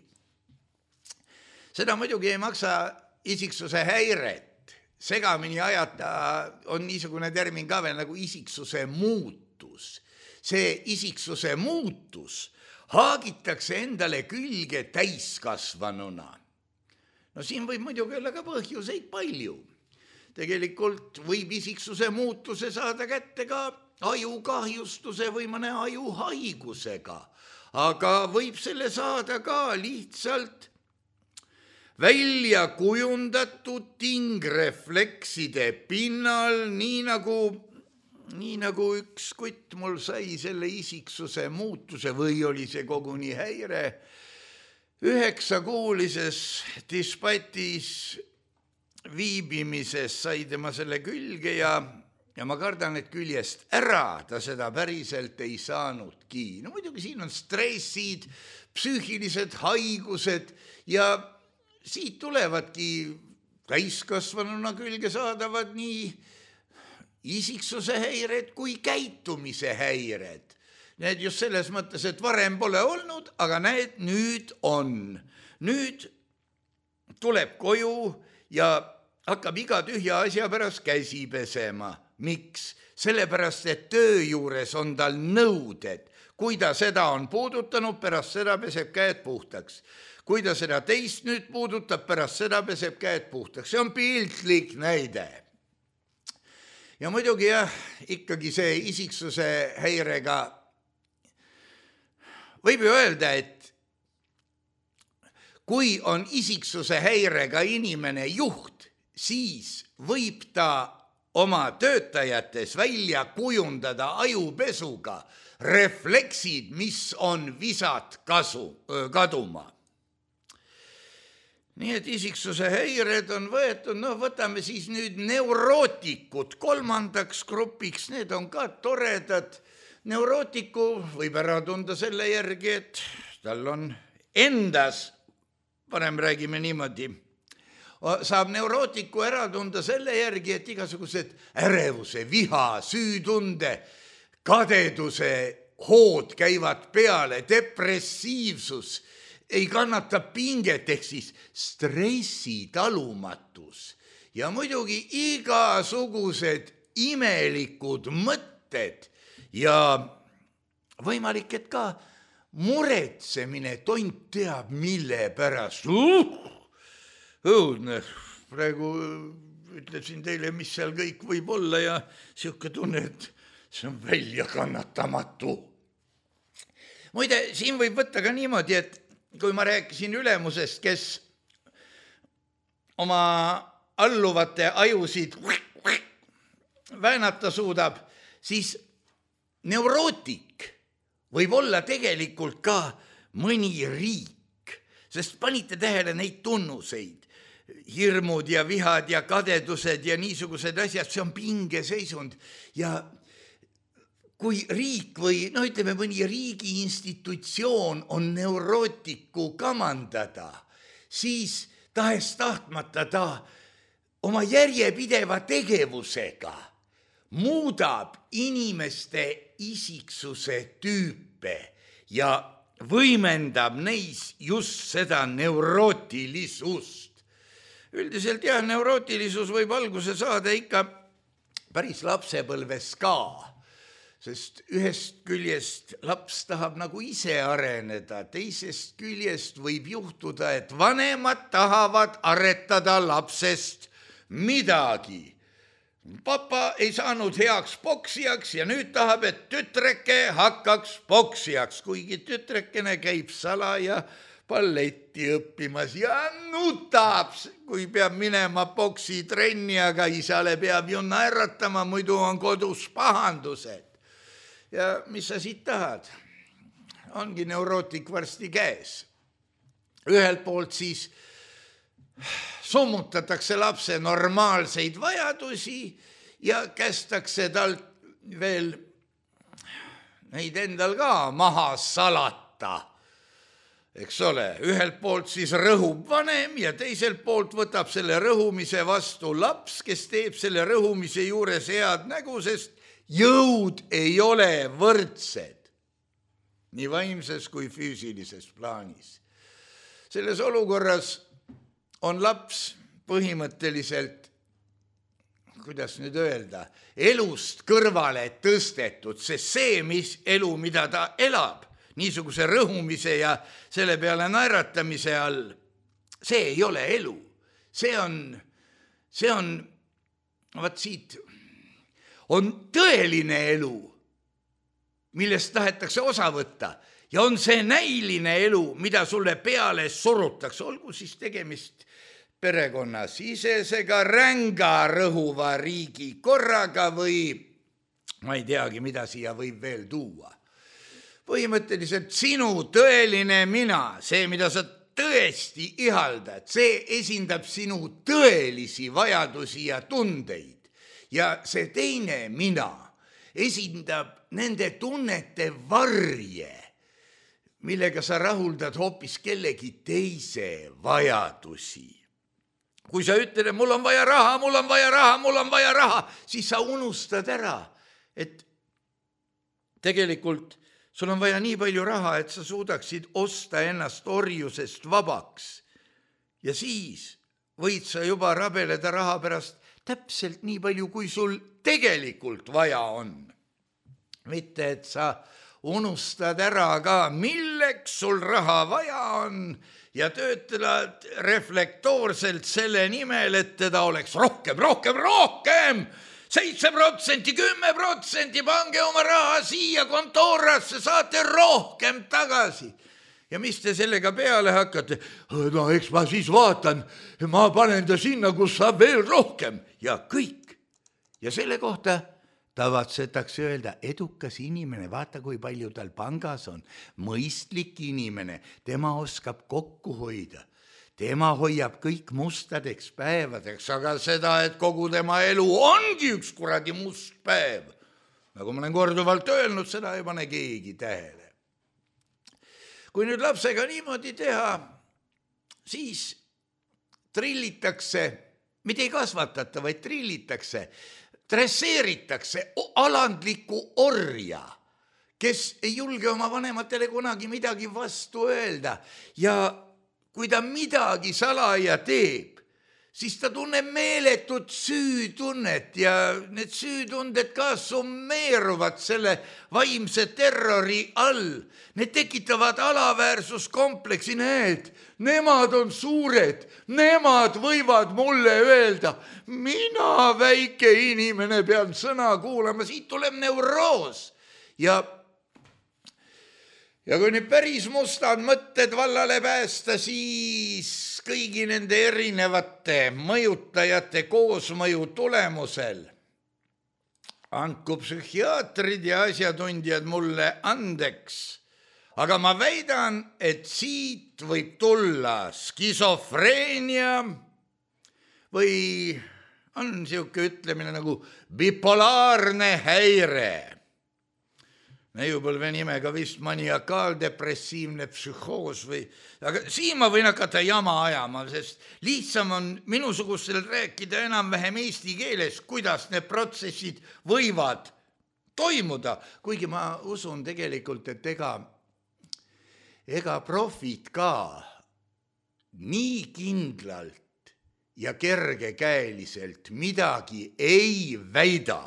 Seda muidugi ei maksa isiksuse häiret segamini ajata on niisugune termin ka veel nagu isiksuse muutus. See isiksuse muutus haagitakse endale külge täiskasvanuna. No siin võib muidugi olla ka põhjuseid palju. Tegelikult võib isiksuse muutuse saada kätte ka ajukahjustuse või mõne ajuhaigusega, aga võib selle saada ka lihtsalt välja kujundatud tingreflekside pinnal, nii nagu üks kutt mul sai selle isiksuse muutuse või oli see koguni häire 9-kuulises dispatis viibimises sai tema selle külge ja ma kardan, et küljest ära ta seda päriselt ei saanudki. No muidugi siin on stressid, psüühilised haigused ja siit tulevadki täiskasvanuna külge saadavad nii isiksuse häired kui käitumise häired. Need just selles mõttes, et varem pole olnud, aga näed, nüüd on. Nüüd tuleb koju ja hakkab iga tühja asja pärast käsi pesema. Miks? Sellepärast, et töö juures on tal nõuded. Kui ta seda on puudutanud, pärast seda peseb käed puhtaks. Kui ta seda teist nüüd puudutab, pärast seda peseb käed puhtaks. See on piltlik näide. Ja muidugi ikkagi see isiksuse häirega võib ju öelda, et kui on isiksuse häirega inimene juht, siis võib ta oma töötajates välja kujundada ajupesuga refleksid, mis on visad kaduma. Nii et isiksuse häired on võetud, võtame siis nüüd neurootikud kolmandaks grupiks, need on ka toredad. Neurootiku võib ära tunda selle järgi, et tal on endas, parem räägime niimoodi, saab neurootiku ära tunda selle järgi, et igasugused ärevuse, viha, süütunde, kadeduse hood käivad peale, depressiivsus, ei kannata pinget, ehk siis stressitalumatus ja muidugi igasugused imelikud mõtted ja võimalik, et ka muretsemine, tont teab mille pärast. Õudne, praegu ütlesin teile, mis seal kõik võib olla ja siuke tunne, et see on välja kannatamatu. Muide, siin võib võtta ka niimoodi, et kui ma rääkisin ülemusest, kes oma alluvate ajusid väänata suudab, siis neurootik võib olla tegelikult ka mõni riik, sest panite tähele neid tunnuseid, hirmud ja vihad ja kadedused ja niisugused asjad, see on pingeseisund ja kui riik või ütleme mõni riigi institutsioon on neurootiku kamandada, siis tahes tahtmata ta oma järjepideva tegevusega muudab inimeste isiksuse tüüpe ja võimendab neis just seda neurootilisust. Üldiselt neurootilisus võib alguse saada ikka päris lapsepõlves ka. Sest ühest küljest laps tahab nagu ise areneda, teisest küljest võib juhtuda, et vanemad tahavad aretada lapsest midagi. Papa ei saanud heaks poksijaks ja nüüd tahab, et tütreke hakkaks poksijaks, kuigi tütrekene käib salaja balletti õppimas ja nutab, kui peab minema poksitrenni, aga isale peab ju naeratama, muidu on kodus pahandused. Ja mis sa siit tahad? Ongi neurootik varsti käes. Ühelt poolt siis summutatakse lapse normaalseid vajadusi ja kästakse tal veel neid endal ka maha salata. Eks ole, ühelt poolt siis rõhub vanem ja teiselt poolt võtab selle rõhumise vastu laps, kes teeb selle rõhumise juures head nägu, sest jõud ei ole võrdsed, nii vaimses kui füüsilises plaanis. Selles olukorras on laps põhimõtteliselt kuidas nüüd öelda, elust kõrvale tõstetud, sest see, mis elu, mida ta elab, niisuguse rõhumise ja selle peale naeratamise all, see ei ole elu. See on, vaat siit, on tõeline elu, millest tahetakse osa võtta ja on see näiline elu, mida sulle peale surutakse, olgu siis tegemist perekonnasisesega, ränga rõhuva riigi korraga või ma ei teagi, mida siia võib veel tuua. Põhimõtteliselt sinu tõeline mina, see, mida sa tõesti ihaldad, see esindab sinu tõelisi vajadusi ja tundeid ja see teine mina esindab nende tunnete varje, millega sa rahuldad hoopis kellegi teise vajadusi. Kui sa ütled, et mul on vaja raha, mul on vaja raha, mul on vaja raha, siis sa unustad ära, et tegelikult sul on vaja nii palju raha, et sa suudaksid osta ennast orjusest vabaks. Ja siis võid sa juba rabeleda raha pärast täpselt nii palju, kui sul tegelikult vaja on. Mitte, et sa unustad ära ka, milleks sul raha vaja on ja töötad reflektoorselt selle nimel, et teda oleks rohkem, 7%, 10%, pange oma raha siia kontoorasse, saate rohkem tagasi. Ja mis te sellega peale hakkate? No eks ma siis vaatan, ma panen ta sinna, kus saab veel rohkem ja kõik. Ja selle kohta tavatsetakse öelda, edukas inimene, vaata kui palju tal pangas on, mõistlik inimene, tema oskab kokku hoida. Tema hoiab kõik mustadeks päevadeks, aga seda, et kogu tema elu ongi üks kuradi must päev. Nagu ma olen korduvalt öelnud, seda ei pane keegi tähele. Kui nüüd lapsega niimoodi teha, siis trillitakse, mitte ei kasvatata, vaid trillitakse, dresseeritakse alandliku orja, kes ei julge oma vanematele kunagi midagi vastu öelda ja kui ta midagi salaja teeb, siis ta tunneb meeletut süütunnet ja need süütunded ka summeeruvad selle vaimse terrori all. Need tekitavad alaväärsuskompleksi, need, nemad on suured, nemad võivad mulle öelda, mina väike inimene pean sõna kuulama, siit tuleb neuroos ja kui nüüd päris mustad mõtted vallale päästa, siis kõigi nende erinevate mõjutajate koosmõju tulemusel andku psühhiaatrid ja asjatundjad mulle andeks, aga ma väidan, et siit võib tulla skisofreenia või on niisugune ütlemine nagu bipolaarne häire. Neiupõlve nimega vist maniakaaldepressiivne psühhoos või, aga siin ma võin hakata jama ajama, sest lihtsam on minusugustel rääkida enam-vähem eesti keeles, kuidas need protsessid võivad toimuda, kuigi ma usun tegelikult, et ega profid ka nii kindlalt ja kergekäeliselt midagi ei väida,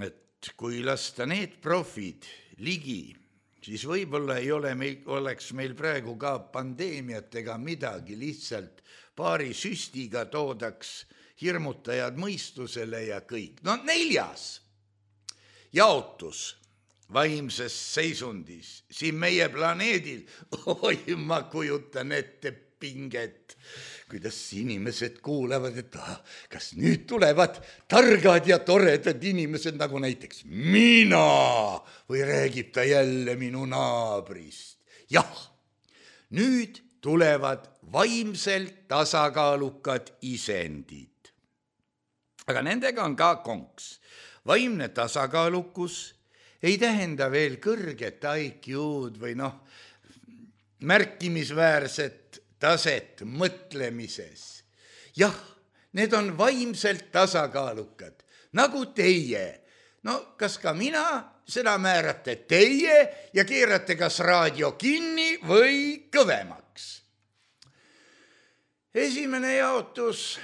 et kui lasta need profid ligi, siis võib-olla oleks meil praegu ka pandeemiat ega midagi, lihtsalt paari süstiga toodaks hirmutajad mõistusele ja kõik. No 4. jaotus vaimses seisundis siin meie planeedil, oi, ma kujutan ette pinget, kuidas inimesed kuulevad, et kas nüüd tulevad targad ja toredad inimesed nagu näiteks mina või räägib ta jälle minu naabrist. Jah, nüüd tulevad vaimselt tasakaalukad isendid. Aga nendega on ka konks. Vaimne tasakaalukus ei tähenda veel kõrget IQ-d või märkimisväärset taset mõtlemises. Jah, need on vaimselt tasakaalukad, nagu teie. No kas ka mina, seda määrate teie ja keerate kas raadio kinni või kõvemaks. Esimene jaotus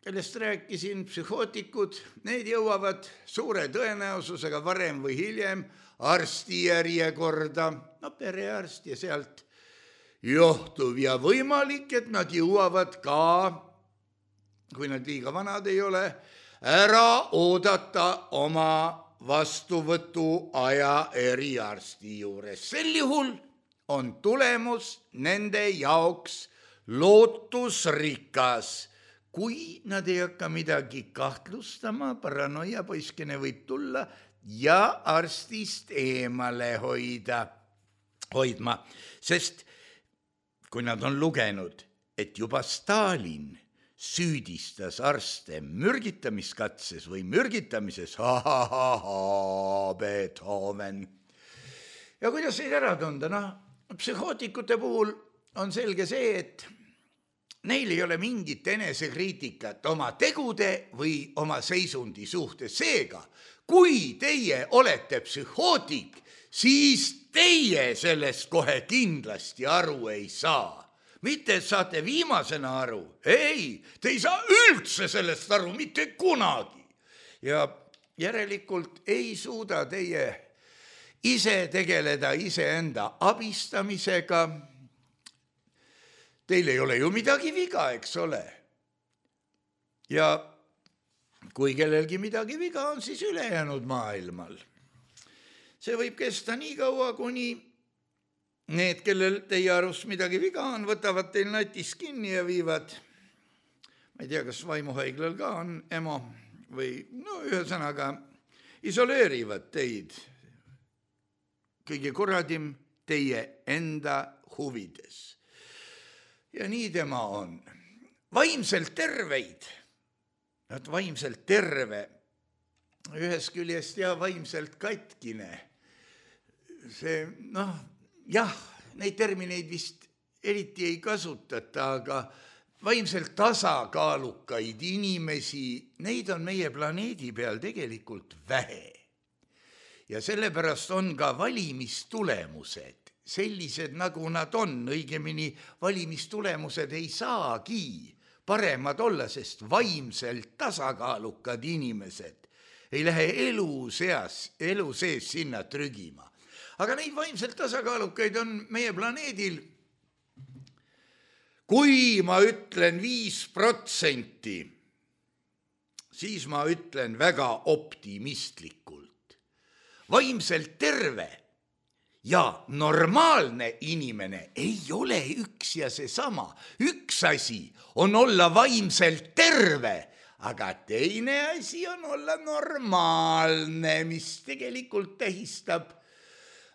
kellest rääkisin, psühhootikud, need jõuavad suure tõenäosusega varem või hiljem arsti järjekorda, no perearst ja sealt johtuv ja võimalik, et nad jõuavad ka, kui nad liiga vanad ei ole, ära oodata oma vastuvõtu aja eriarsti juures. Sel juhul on tulemus nende jaoks lootusrikas, kui nad ei hakka midagi kahtlustama, paranoia poiskene võib tulla ja arstist eemale hoidma, sest kui nad on lugenud, et juba Stalin süüdistas arste mürgitamiskatses või mürgitamises, Beethoven. Ja kuidas neid ära tunda? Psühhootikute puhul on selge see, et neil ei ole mingit enesekriitikat oma tegude või oma seisundi suhtes. Seega, kui teie olete psühhootik, siis teie sellest kohe kindlasti aru ei saa. Mitte, et saate viimasena aru. Ei, te ei saa üldse sellest aru, mitte kunagi. Ja järelikult ei suuda teie ise tegeleda iseenda abistamisega. Teil ei ole ju midagi viga, eks ole. Ja kui kellelgi midagi viga on, siis ülejäänud maailmal. See võib kesta nii kaua, kuni need, kellel teie arust midagi viga on, võtavad teil natis kinni ja viivad, ma ei tea, kas vaimuhaiglal ka on EMO või ühesõnaga isoleerivad teid kõige kuradim teie enda huvides. Ja nii tema on. Vaimselt terveid, vaimselt terve, ühest küljest ja vaimselt katkine. See, jah, neid termineid vist eriti ei kasutata, aga vaimselt tasakaalukaid inimesi, neid on meie planeedi peal tegelikult vähe. Ja sellepärast on ka valimistulemused sellised, nagu nad on. Õigemini valimistulemused ei saagi paremad olla, sest vaimselt tasakaalukad inimesed ei lähe elu sees sinna trügima. Aga neid vaimselt tasakaalukaid on meie planeedil, kui ma ütlen 5%, siis ma ütlen väga optimistlikult. Vaimselt terve ja normaalne inimene ei ole üks ja seesama. Üks asi on olla vaimselt terve, aga teine asi on olla normaalne, mis tegelikult tähistab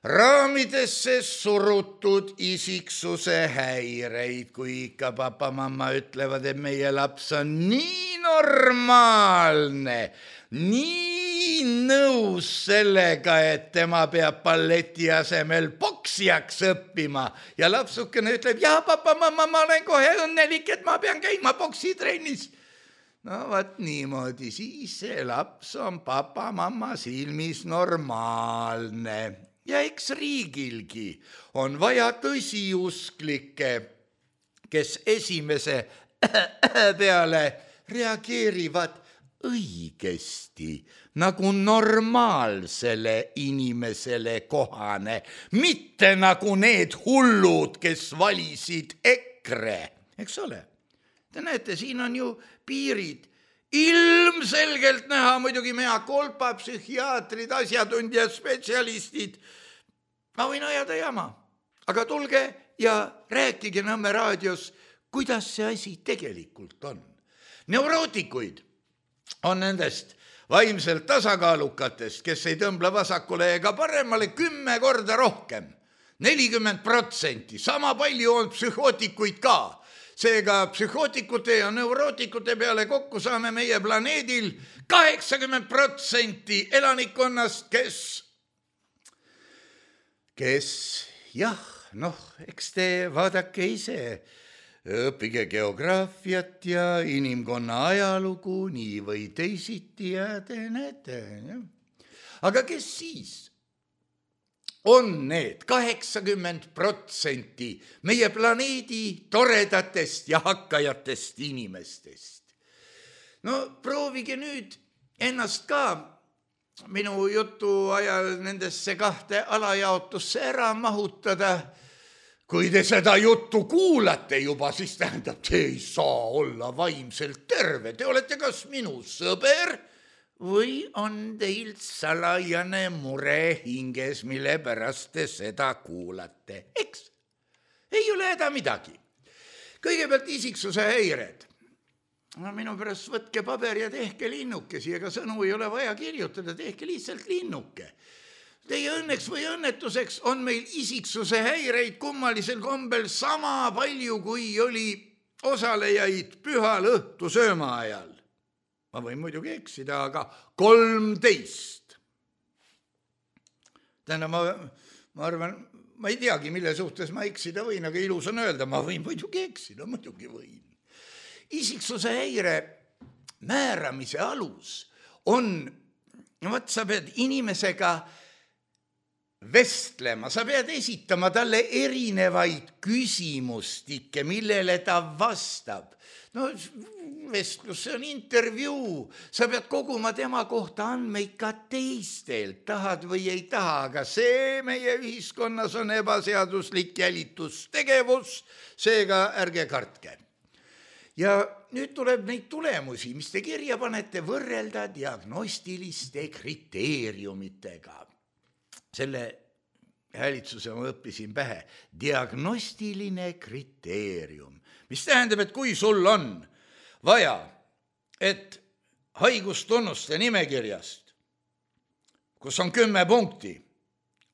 raamidesse surutud isiksuse häireid, kui ikka papa-mamma ütlevad, et meie laps on nii normaalne, nii nõus sellega, et tema peab balleti asemel poksijaks õppima ja lapsukene ütleb, ja papa-mamma, ma olen kohe õnnelik, et ma pean käima poksitrennis. No vaat niimoodi, siis see laps on papa-mamma silmis normaalne. Ja eks riigilgi on vaja tõsiusklikke, kes esimese peale reageerivad õigesti, nagu normaalsele inimesele kohane, mitte nagu need hullud, kes valisid EKRE, eks ole. Te näete, siin on ju piirid. Ilmselgelt näha muidugi mea kolpa, psühhiaatrid, asjatundjad, spetsialistid. Ma võin ajada jama, aga tulge ja rääkige Nõmme raadios, kuidas see asi tegelikult on. Neurootikuid on nendest vaimselt tasakaalukatest, kes ei tõmbla vasakule ega paremale 10 korda rohkem. 40%, sama palju on psühhootikuid ka. Seega psühhootikute ja neurootikute peale kokku saame meie planeedil 80% elanikkonnast, kes jah, eks te vaadake ise, õppige geograafiat ja inimkonna ajalugu nii või teisiti ja te näete. Ja. Aga kes siis on need 80% meie planeedi toredatest ja hakkajatest inimestest? no proovige nüüd ennast ka minu jutu ajal nendesse 2 alajaotusse ära mahutada. Kui te seda juttu kuulate juba, siis tähendab, te ei saa olla vaimselt terve. Te olete kas minu sõber või on teil salajane mure hinges, mille pärast te seda kuulate. Eks? Ei ole häda midagi. Kõigepealt isiksuse häired. No, minu pärast võtke paber ja tehke linnukesi, ega sõnu ei ole vaja kirjutada, tehke lihtsalt linnuke. Teie õnneks või õnnetuseks on meil isiksuse häireid kummalisel kombel sama palju, kui oli osalejaid pühal õhtu sööma ajal. Ma võin muidugi eksida, aga 13. Tähendab, ma arvan, ma ei teagi, mille suhtes ma eksida võin, aga ilus on öelda, ma võin muidugi eksida, muidugi võin. Isiksuse häire määramise alus on, sa pead inimesega vestlema, sa pead esitama talle erinevaid küsimustikke, millele ta vastab. No vestlus, see on intervjuu, sa pead koguma tema kohta andmeid ka teistelt, tahad või ei taha, aga see meie ühiskonnas on ebaseaduslik jälitustegevus, seega ärge kartke. Ja nüüd tuleb neid tulemusi, mis te kirja panete, võrrelda diagnostiliste kriteeriumitega. Selle häälitsuse ma õppisin pähe. Diagnostiline kriteerium, mis tähendab, et kui sul on vaja, et haigustunnuste nimekirjast, kus on 10 punkti,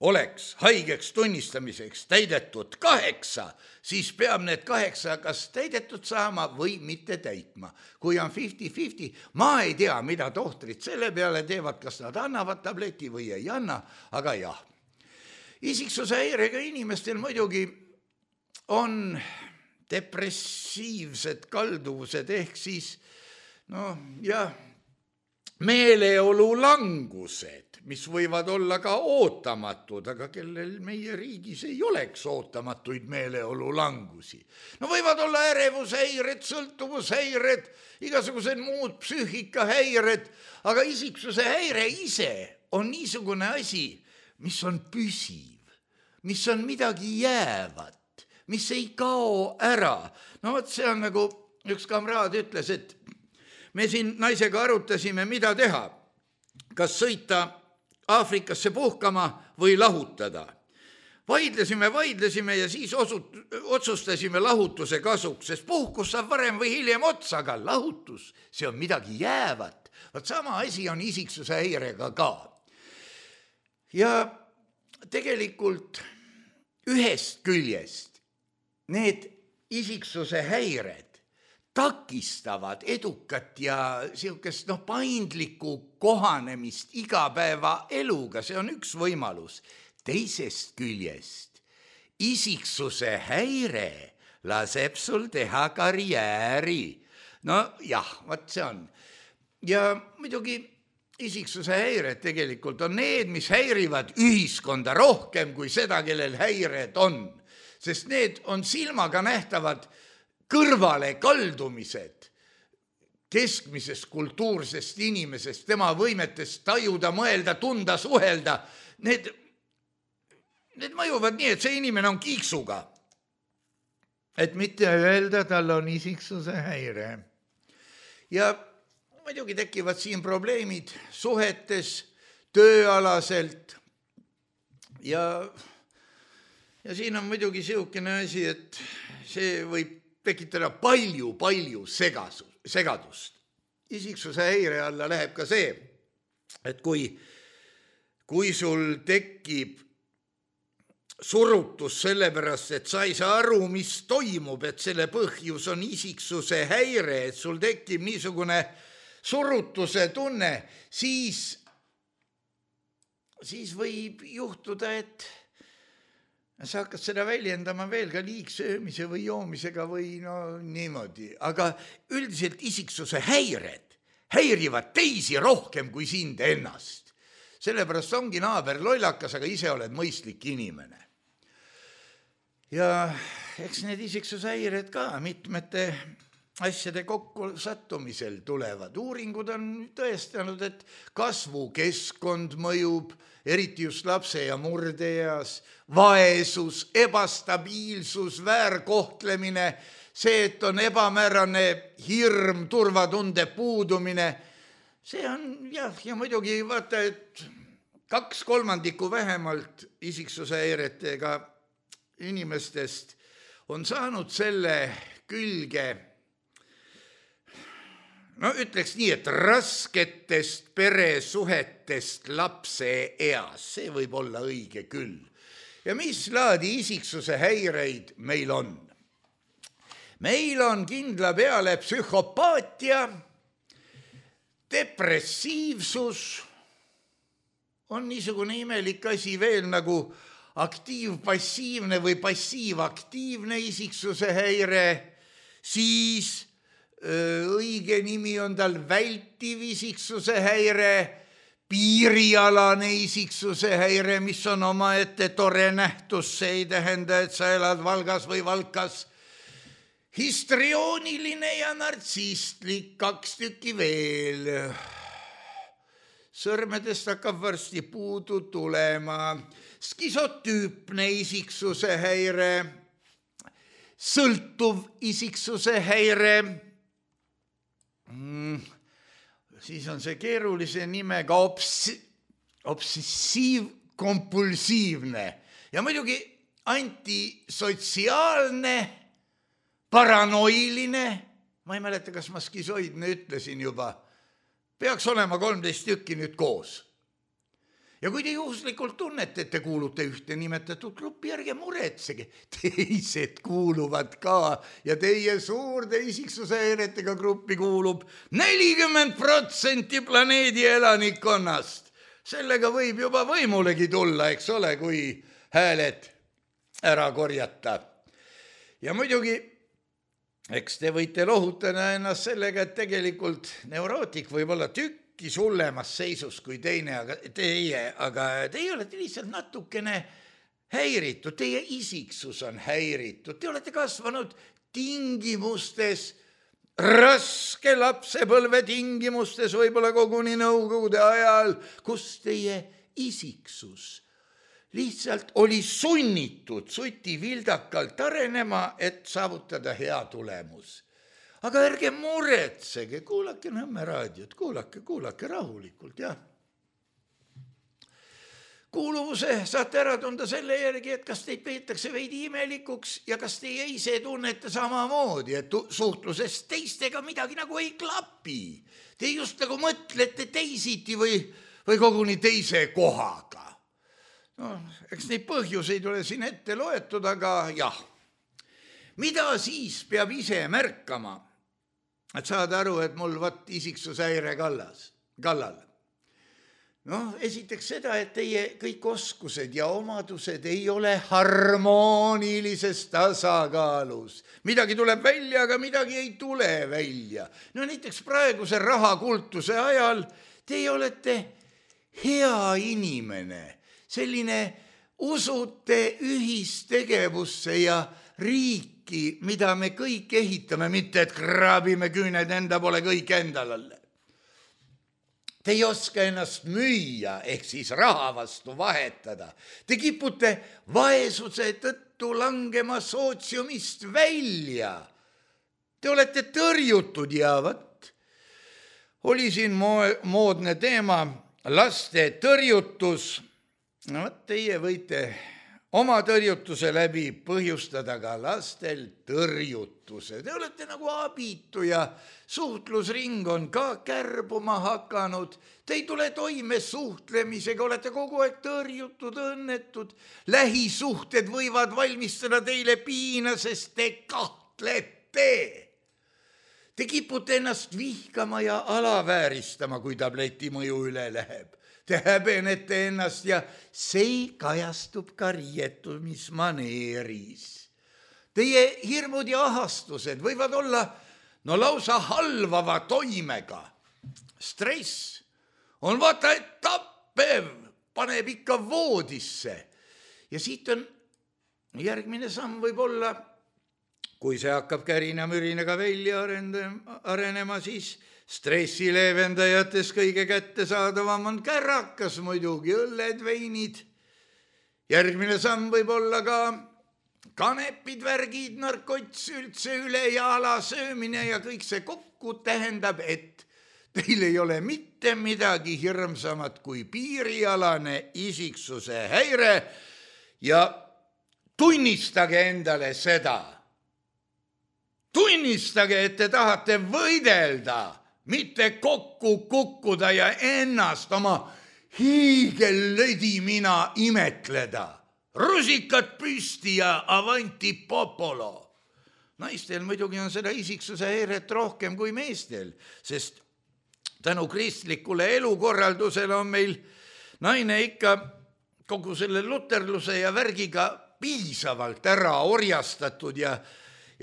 oleks haigeks tunnistamiseks täidetud 8, siis peab need 8 kas täidetud saama või mitte täitma. Kui on 50-50, ma ei tea, mida tohtrid selle peale teevad, kas nad annavad tableti või ei anna, aga jah. Isiksuse häirega inimestel muidugi on depressiivsed kalduvused ehk siis meeleolu langused, mis võivad olla ka ootamatud, aga kellel meie riigis ei oleks ootamatuid meeleolu langusi. No võivad olla ärevushäired, sõltuvushäired, igasugused muud psüühikahäired, aga isiksuse häire ise on niisugune asi, mis on püsiv, mis on midagi jäävat, mis ei kao ära. No vot, see on nagu üks kamraad ütles, et me siin naisega arutasime, mida teha, kas sõita Aafrikasse puhkama või lahutada. Vaidlesime ja siis otsustasime lahutuse kasuks, sest puhkus saab varem või hiljem otsa, aga lahutus, see on midagi jäävat. Vaat sama asi on isiksuse häirega ka. Ja tegelikult ühest küljest need isiksuse häired takistavad edukat ja siukest paindlikku kohanemist igapäeva eluga, see on üks võimalus. Teisest küljest isiksuse häire laseb sul teha karjääri. No jah, vaat see on. Ja muidugi isiksuse häired tegelikult on need, mis häirivad ühiskonda rohkem kui seda, kellel häired on. Sest need on silmaga nähtavad kõrvale kaldumised keskmisest kultuursest inimesest, tema võimetest tajuda, mõelda, tunda, suhelda. Need mõjuvad nii, et see inimene on kiiksuga. Et mitte öelda, tal on isiksuse häire. Ja muidugi tekivad siin probleemid suhetes, tööalaselt ja siin on muidugi siukene asi, et see võib tekitada palju segadust. Isiksuse häire alla läheb ka see, et kui sul tekib surutus sellepärast, et sa ei saa aru, mis toimub, et selle põhjus on isiksuse häire, et sul tekib niisugune surutuse tunne, siis võib juhtuda, et sa hakkad seda väljendama veel ka liigsöömise või joomisega või niimoodi. Aga üldiselt isiksuse häired häirivad teisi rohkem kui sind ennast. Sellepärast ongi naaber lollakas, aga ise oled mõistlik inimene. Ja eks need isiksuse häired ka mitmete asjade kokku sattumisel tulevad. Uuringud on tõestanud, et kasvukeskkond mõjub, eriti just lapse ja murdeeas, vaesus, ebastabiilsus, väärkohtlemine, see, et on ebamäärane hirm, turvatunde puudumine, see on ja muidugi vaata, et 2/3 vähemalt isiksuse häiretega inimestest on saanud selle külge, no ütleks nii, et rasketest peresuhetest lapse eas, see võib olla õige küll. Ja mis laadi isiksuse häireid meil on? Meil on kindla peale psühhopaatia, depressiivsus, on niisugune imelik asi veel nagu aktiivpassiivne või passiivaktiivne isiksuse häire, siis õige nimi on tal vältiv isiksuse häire, piirialane isiksuse häire, mis on omaette tore nähtus, see ei tähenda, et sa elad Valgas või Valkas, histriooniline ja nartsistlik, 2 tükki veel. Sõrmedest hakkab varsti puudu tulema, skisotüüpne isiksuse häire, sõltuv isiksuse häire, siis on see keerulise nimega obsessiivkompulsiivne ja muidugi antisotsiaalne, paranoiline, ma ei mäleta, kas ma skisoidne ütlesin juba, peaks olema 13 tükki nüüd koos. Ja kui te juhuslikult tunnete, et te kuulute ühte nimetatud gruppi, ärge muretsege, teised kuuluvad ka ja teie suurde isiksuse häiretega gruppi kuulub 40% planeedi elanikkonnast. Sellega võib juba võimulegi tulla, eks ole, kui hääled ära korjata. Ja muidugi, eks te võite lohutada ennast sellega, et tegelikult neurootik võib olla tükki sullemas seisus kui teine, aga teie olete lihtsalt natukene häiritud, teie isiksus on häiritud, te olete kasvanud tingimustes, raske lapsepõlve tingimustes, võib-olla koguni nõukogude ajal, kus teie isiksus lihtsalt oli sunnitud sutivildakalt arenema, et saavutada hea tulemus. Aga ärge muretsege, kuulake Nõmme raadiot, kuulake rahulikult, jah. Kuuluvuse saate ära tunda selle järgi, et kas teid peetakse veidi imelikuks ja kas teie ise tunnete samamoodi, et suhtluses teistega midagi nagu ei klapi. Te just nagu mõtlete teisiti või koguni teise kohaga. No, eks neid põhjuseid ole siin ette loetud, aga jah. Mida siis peab ise märkama, et saada aru, et mul isiksushäire kallal? No, esiteks seda, et teie kõik oskused ja omadused ei ole harmoonilises tasakaalus. Midagi tuleb välja, aga midagi ei tule välja. No näiteks praeguse rahakultuse ajal teie olete hea inimene, selline usute ühistegevusse ja riiki, mida me kõik ehitame, mitte et kraabime küüned enda pole kõik endal alle. Te ei oska ennast müüa, ehk siis raha vastu vahetada. Te kipute vaesuse tõttu langema sootsiumist välja. Te olete tõrjutud ja oli siin moodne teema, laste tõrjutus. No, teie võite oma tõrjutuse läbi põhjustada ka lastel tõrjutuse. Te olete nagu abitu ja suhtlusring on ka kärbuma hakanud. Te ei tule toime suhtlemisega, olete kogu aeg tõrjutud, õnnetud. Lähisuhted võivad valmistada teile piina, sest te kahtlete. Te kipute ennast vihkama ja alavääristama, kui tableti mõju üle läheb. Te häbenete ennast ja see kajastub ka riietumismaneeris. Teie hirmud ja ahastused võivad olla lausa halvava toimega. Stress on vaata, et tappev, paneb ikka voodisse. Ja siit on järgmine samm võib olla kui see hakkab kärina-mürinega välja arenema, siis stressileevendajates kõige kättesaadavam on kärrakas muidugi, õlled, veinid. Järgmine samm võib olla ka kanepid, värgid, narkots, üldse üle ja alasöömine ja kõik see kokku tähendab, et teil ei ole mitte midagi hirmsamat kui piirialane isiksuse häire ja tunnistage endale seda. Tunnistage, et te tahate võidelda, mitte kokku kukkuda ja ennast oma hiigellödimina imetleda. Rusikad püsti ja avanti popolo. Naistel muidugi on seda isiksuse häiret rohkem kui meestel, sest tänu kristlikule elukorraldusele on meil naine ikka kogu selle luterluse ja värgiga piisavalt ära orjastatud ja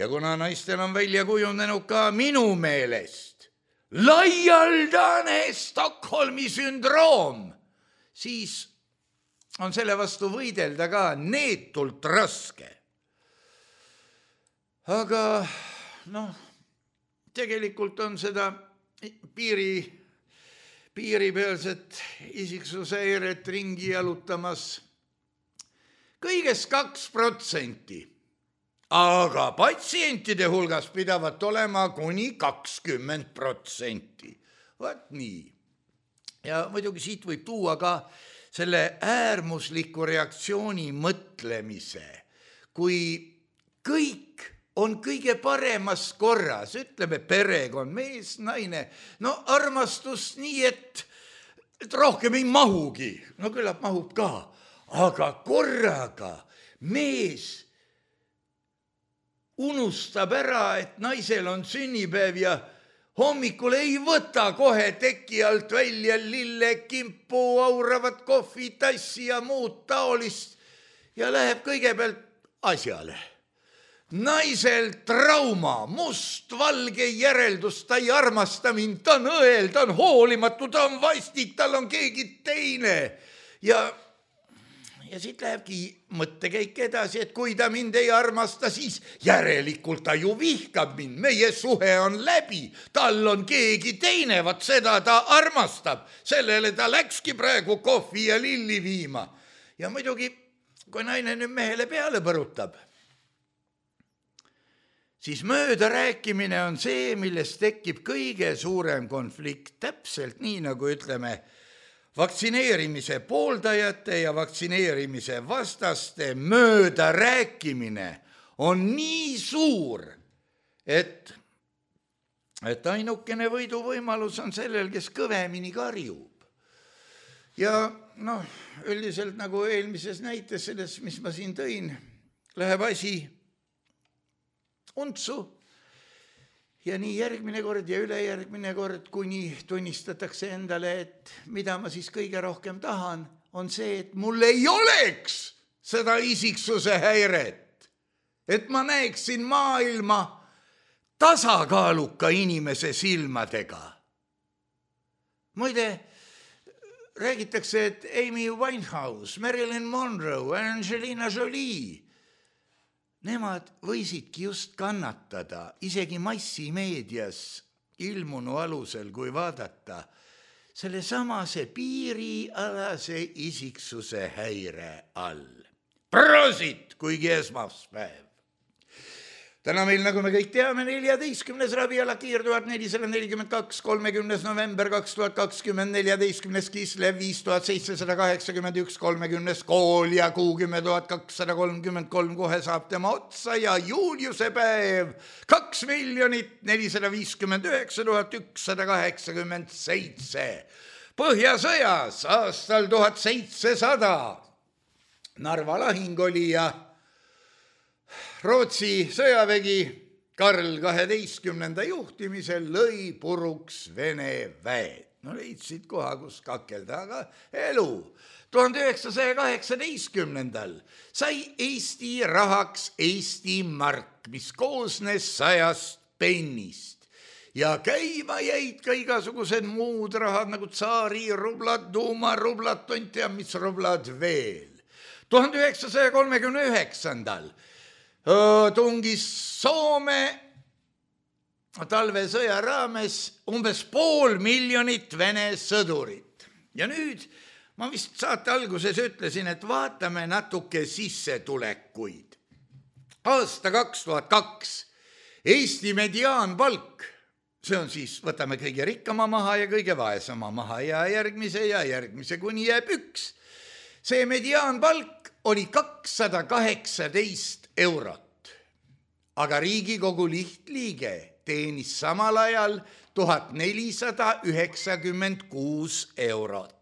kuna naistel on välja kujunenud ka minu meelest laialdane Stockholmi sündroom, siis on selle vastu võidelda ka neetult raske. Aga tegelikult on seda piiripealset isiksushäiret ringi jalutamas kõigest 2%, aga patsientide hulgas pidavat olema kuni 20%. Vaat nii. Ja muidugi siit võib tuua ka selle äärmusliku reaktsiooni mõtlemise, kui kõik on kõige paremas korras, ütleme perekond, mees, naine, armastus nii, et rohkem ei mahugi, küllap mahub ka, aga korraga mees unustab ära, et naisel on sünnipäev ja hommikul ei võta kohe teki alt välja lillekimpu, auravat kohvitassi ja muud taolist ja läheb kõigepealt asjale. Naisel trauma, mustvalge järeldus, ta ei armasta mind, ta on õel, ta on hoolimatu, ta on vastik, tal on keegi teine. Ja siit lähebki mõttekäik edasi, et kui ta mind ei armasta, siis järelikult ta ju vihkab mind. Meie suhe on läbi, tal on keegi teine, vaat seda ta armastab. Sellele ta läkski praegu kohvi ja lilli viima. Ja muidugi, kui naine nüüd mehele peale põrutab, siis mööda rääkimine on see, millest tekib kõige suurem konflikt. Täpselt nii, nagu ütleme, vaktsineerimise pooldajate ja vaktsineerimise vastaste mööda rääkimine on nii suur, et ainukene võiduvõimalus on sellel, kes kõvemini karjub. Ja üldiselt nagu eelmises näites selles, mis ma siin tõin, läheb asi untsu. Ja nii järgmine kord ja ülejärgmine kord, kuni tunnistatakse endale, et mida ma siis kõige rohkem tahan, on see, et mul ei oleks seda isiksuse häiret. Et ma näeksin maailma tasakaaluka inimese silmadega. Muide, räägitakse, et Amy Winehouse, Marilyn Monroe, Angelina Jolie, nemad võisidki just kannatada isegi massimeedias ilmunu alusel, kui vaadata selle samase piirialase isiksuse häire all. Prosit, kuigi esmaspäev. Täna meil, nagu me kõik teame, 14. raviala Kiir 1442, 30. november 2020, 14. Kislev 5781, 30. kool ja kuu 10,233, kohe saab tema otsa ja Juliuse päev 2 459 187. Põhjasõjas aastal 1700 Narva lahing oli ja Rootsi sõjavägi Karl 12. juhtimisel lõi puruks Vene väed. Leidsid koha, kus kakelda, aga elu. 1918. sai Eesti rahaks Eesti mark, mis koosnes 100 pennist. Ja käima jäid ka igasugused muud rahad, nagu tsaari rublad, duuma rublad, tont ja mis rublad veel. 1939. tungis Soome talvesõja raames umbes 500,000 Vene sõdurit. Ja nüüd ma vist saate alguses ütlesin, et vaatame natuke sissetulekuid. Aasta 2002 Eesti mediaanpalk, see on siis, võtame kõige rikkama maha ja kõige vaesema maha ja järgmise kuni jääb 1. See mediaanpalk oli 218 eurot, aga Riigikogu lihtliige teenis samal ajal 1496 eurot.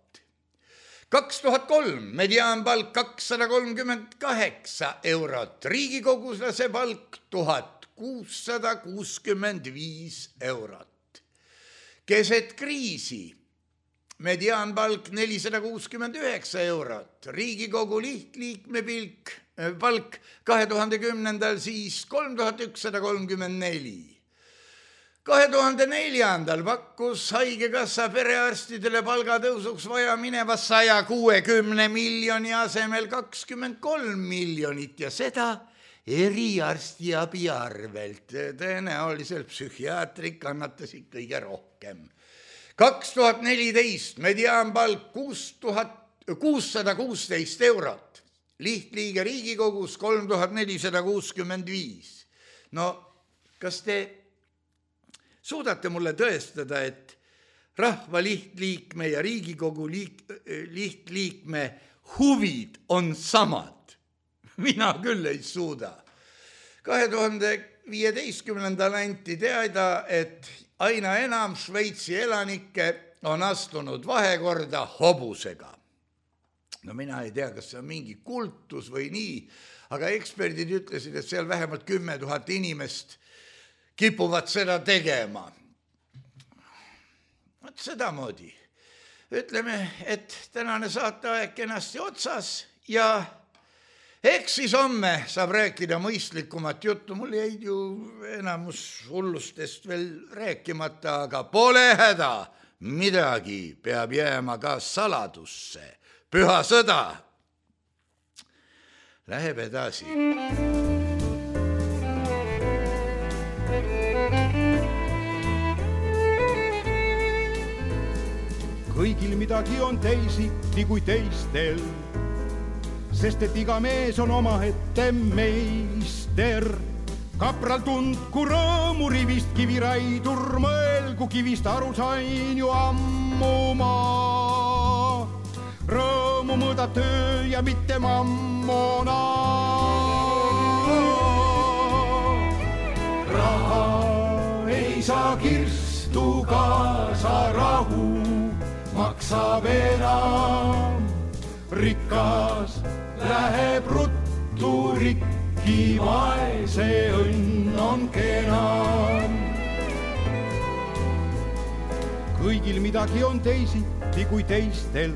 2003 mediaanpalk 238 eurot, riigikoguslase palk 1665 eurot. Keset kriisi mediaanpalk 469 eurot, Riigikogu lihtliikme palk 2010. siis 3134. 2004. pakkus haigekassa perearstidele palgatõusuks vaja mineva 160 miljoni asemel 23 miljonit ja seda eriarstiabi arvelt. Tõenäoliselt psühhiaatrid kannatasid kõige rohkem. 2014 mediaanpalk 616 eurot, lihtliige Riigikogus 3465. No, kas te suudate mulle tõestada, et rahva lihtliikme ja Riigikogu lihtliikme huvid on samad? Mina küll ei suuda. 2015. anti teada, et aina enam Šveitsi elanikke on astunud vahekorda hobusega. No mina ei tea, kas see on mingi kultus või nii, aga eksperdid ütlesid, et seal vähemalt 10 000 inimest kipuvad seda tegema. Vot sedamoodi. Ütleme, et tänane saateaeg kenasti otsas ja eks siis homme saab rääkida mõistlikumat juttu. Mul jäid ju enamus hullustest veel rääkimata, aga pole häda. Midagi peab jääma ka saladusse. Püha sõda läheb edasi. Kõigil midagi on teisiti kui teistel, sest et iga mees on omaette meister. Kapral tundku rõõmu rivist kiviraidur, mõelgu kivist aru sain ju ammu ma. Rõõmu mõõdab töö ja mitte mammona. Raha ei saa kirstu kaasa rahu, maksab enam, rikas läheb ruttu rikki, vaese õnn on kenam. Kõigil midagi on teisiti kui teistel,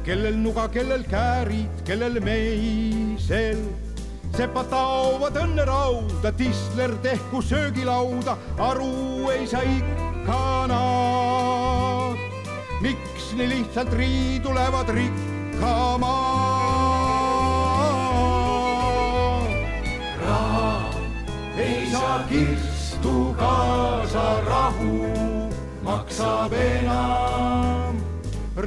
kellel nuga, kellel käärid, kellel meisel. Sepad taovad õnne rauda, tisler tehku söögilauda, aru ei saa ikka nad. Miks nii lihtsalt riidu lähevad rikkama? Raha ei saa kirstu kaasa rahu, maksab enam,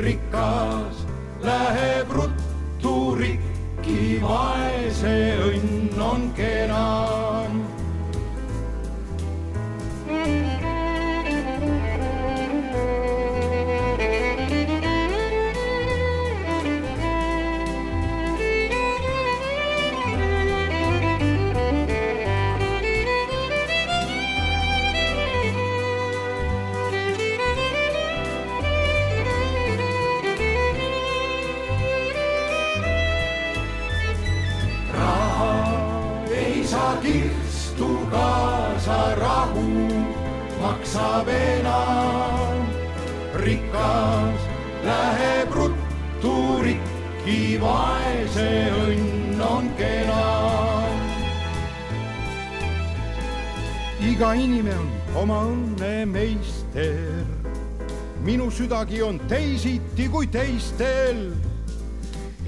rikas läheb ruttu rikki, vaese õnn on kenam. Kirstu kaasa rahu, maksab enam, rikas läheb ruttu rikki, vaese õnn on kenam. Iga inimene on oma õnne meister, minu südagi on teisiti kui teistel.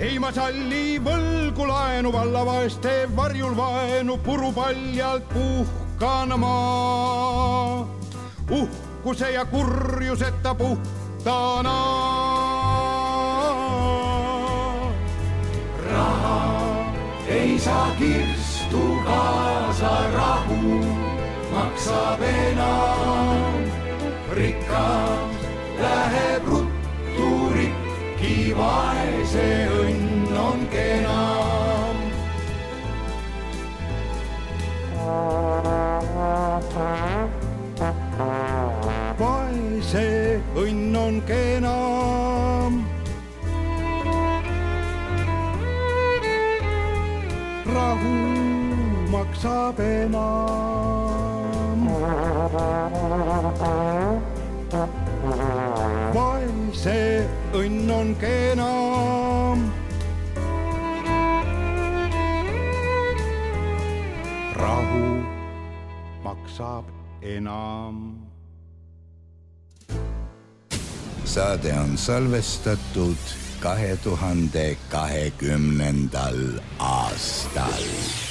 Ei ma salli võlgu laenu laenu vallavaeste varjul vaenu purupaljalt puhkana maa. Uhkuse ja kurjuseta puhtana. Raha ei saa kirstu kaasa, rahu maksab enam. Rikas läheb ruttu rikki, vaese õnn on kenam. Vaese õnn on kenam. Rahu maksab enam. Vaese õnn on kenam. Rahu maksab enam. Saade on salvestatud 2020. aastal.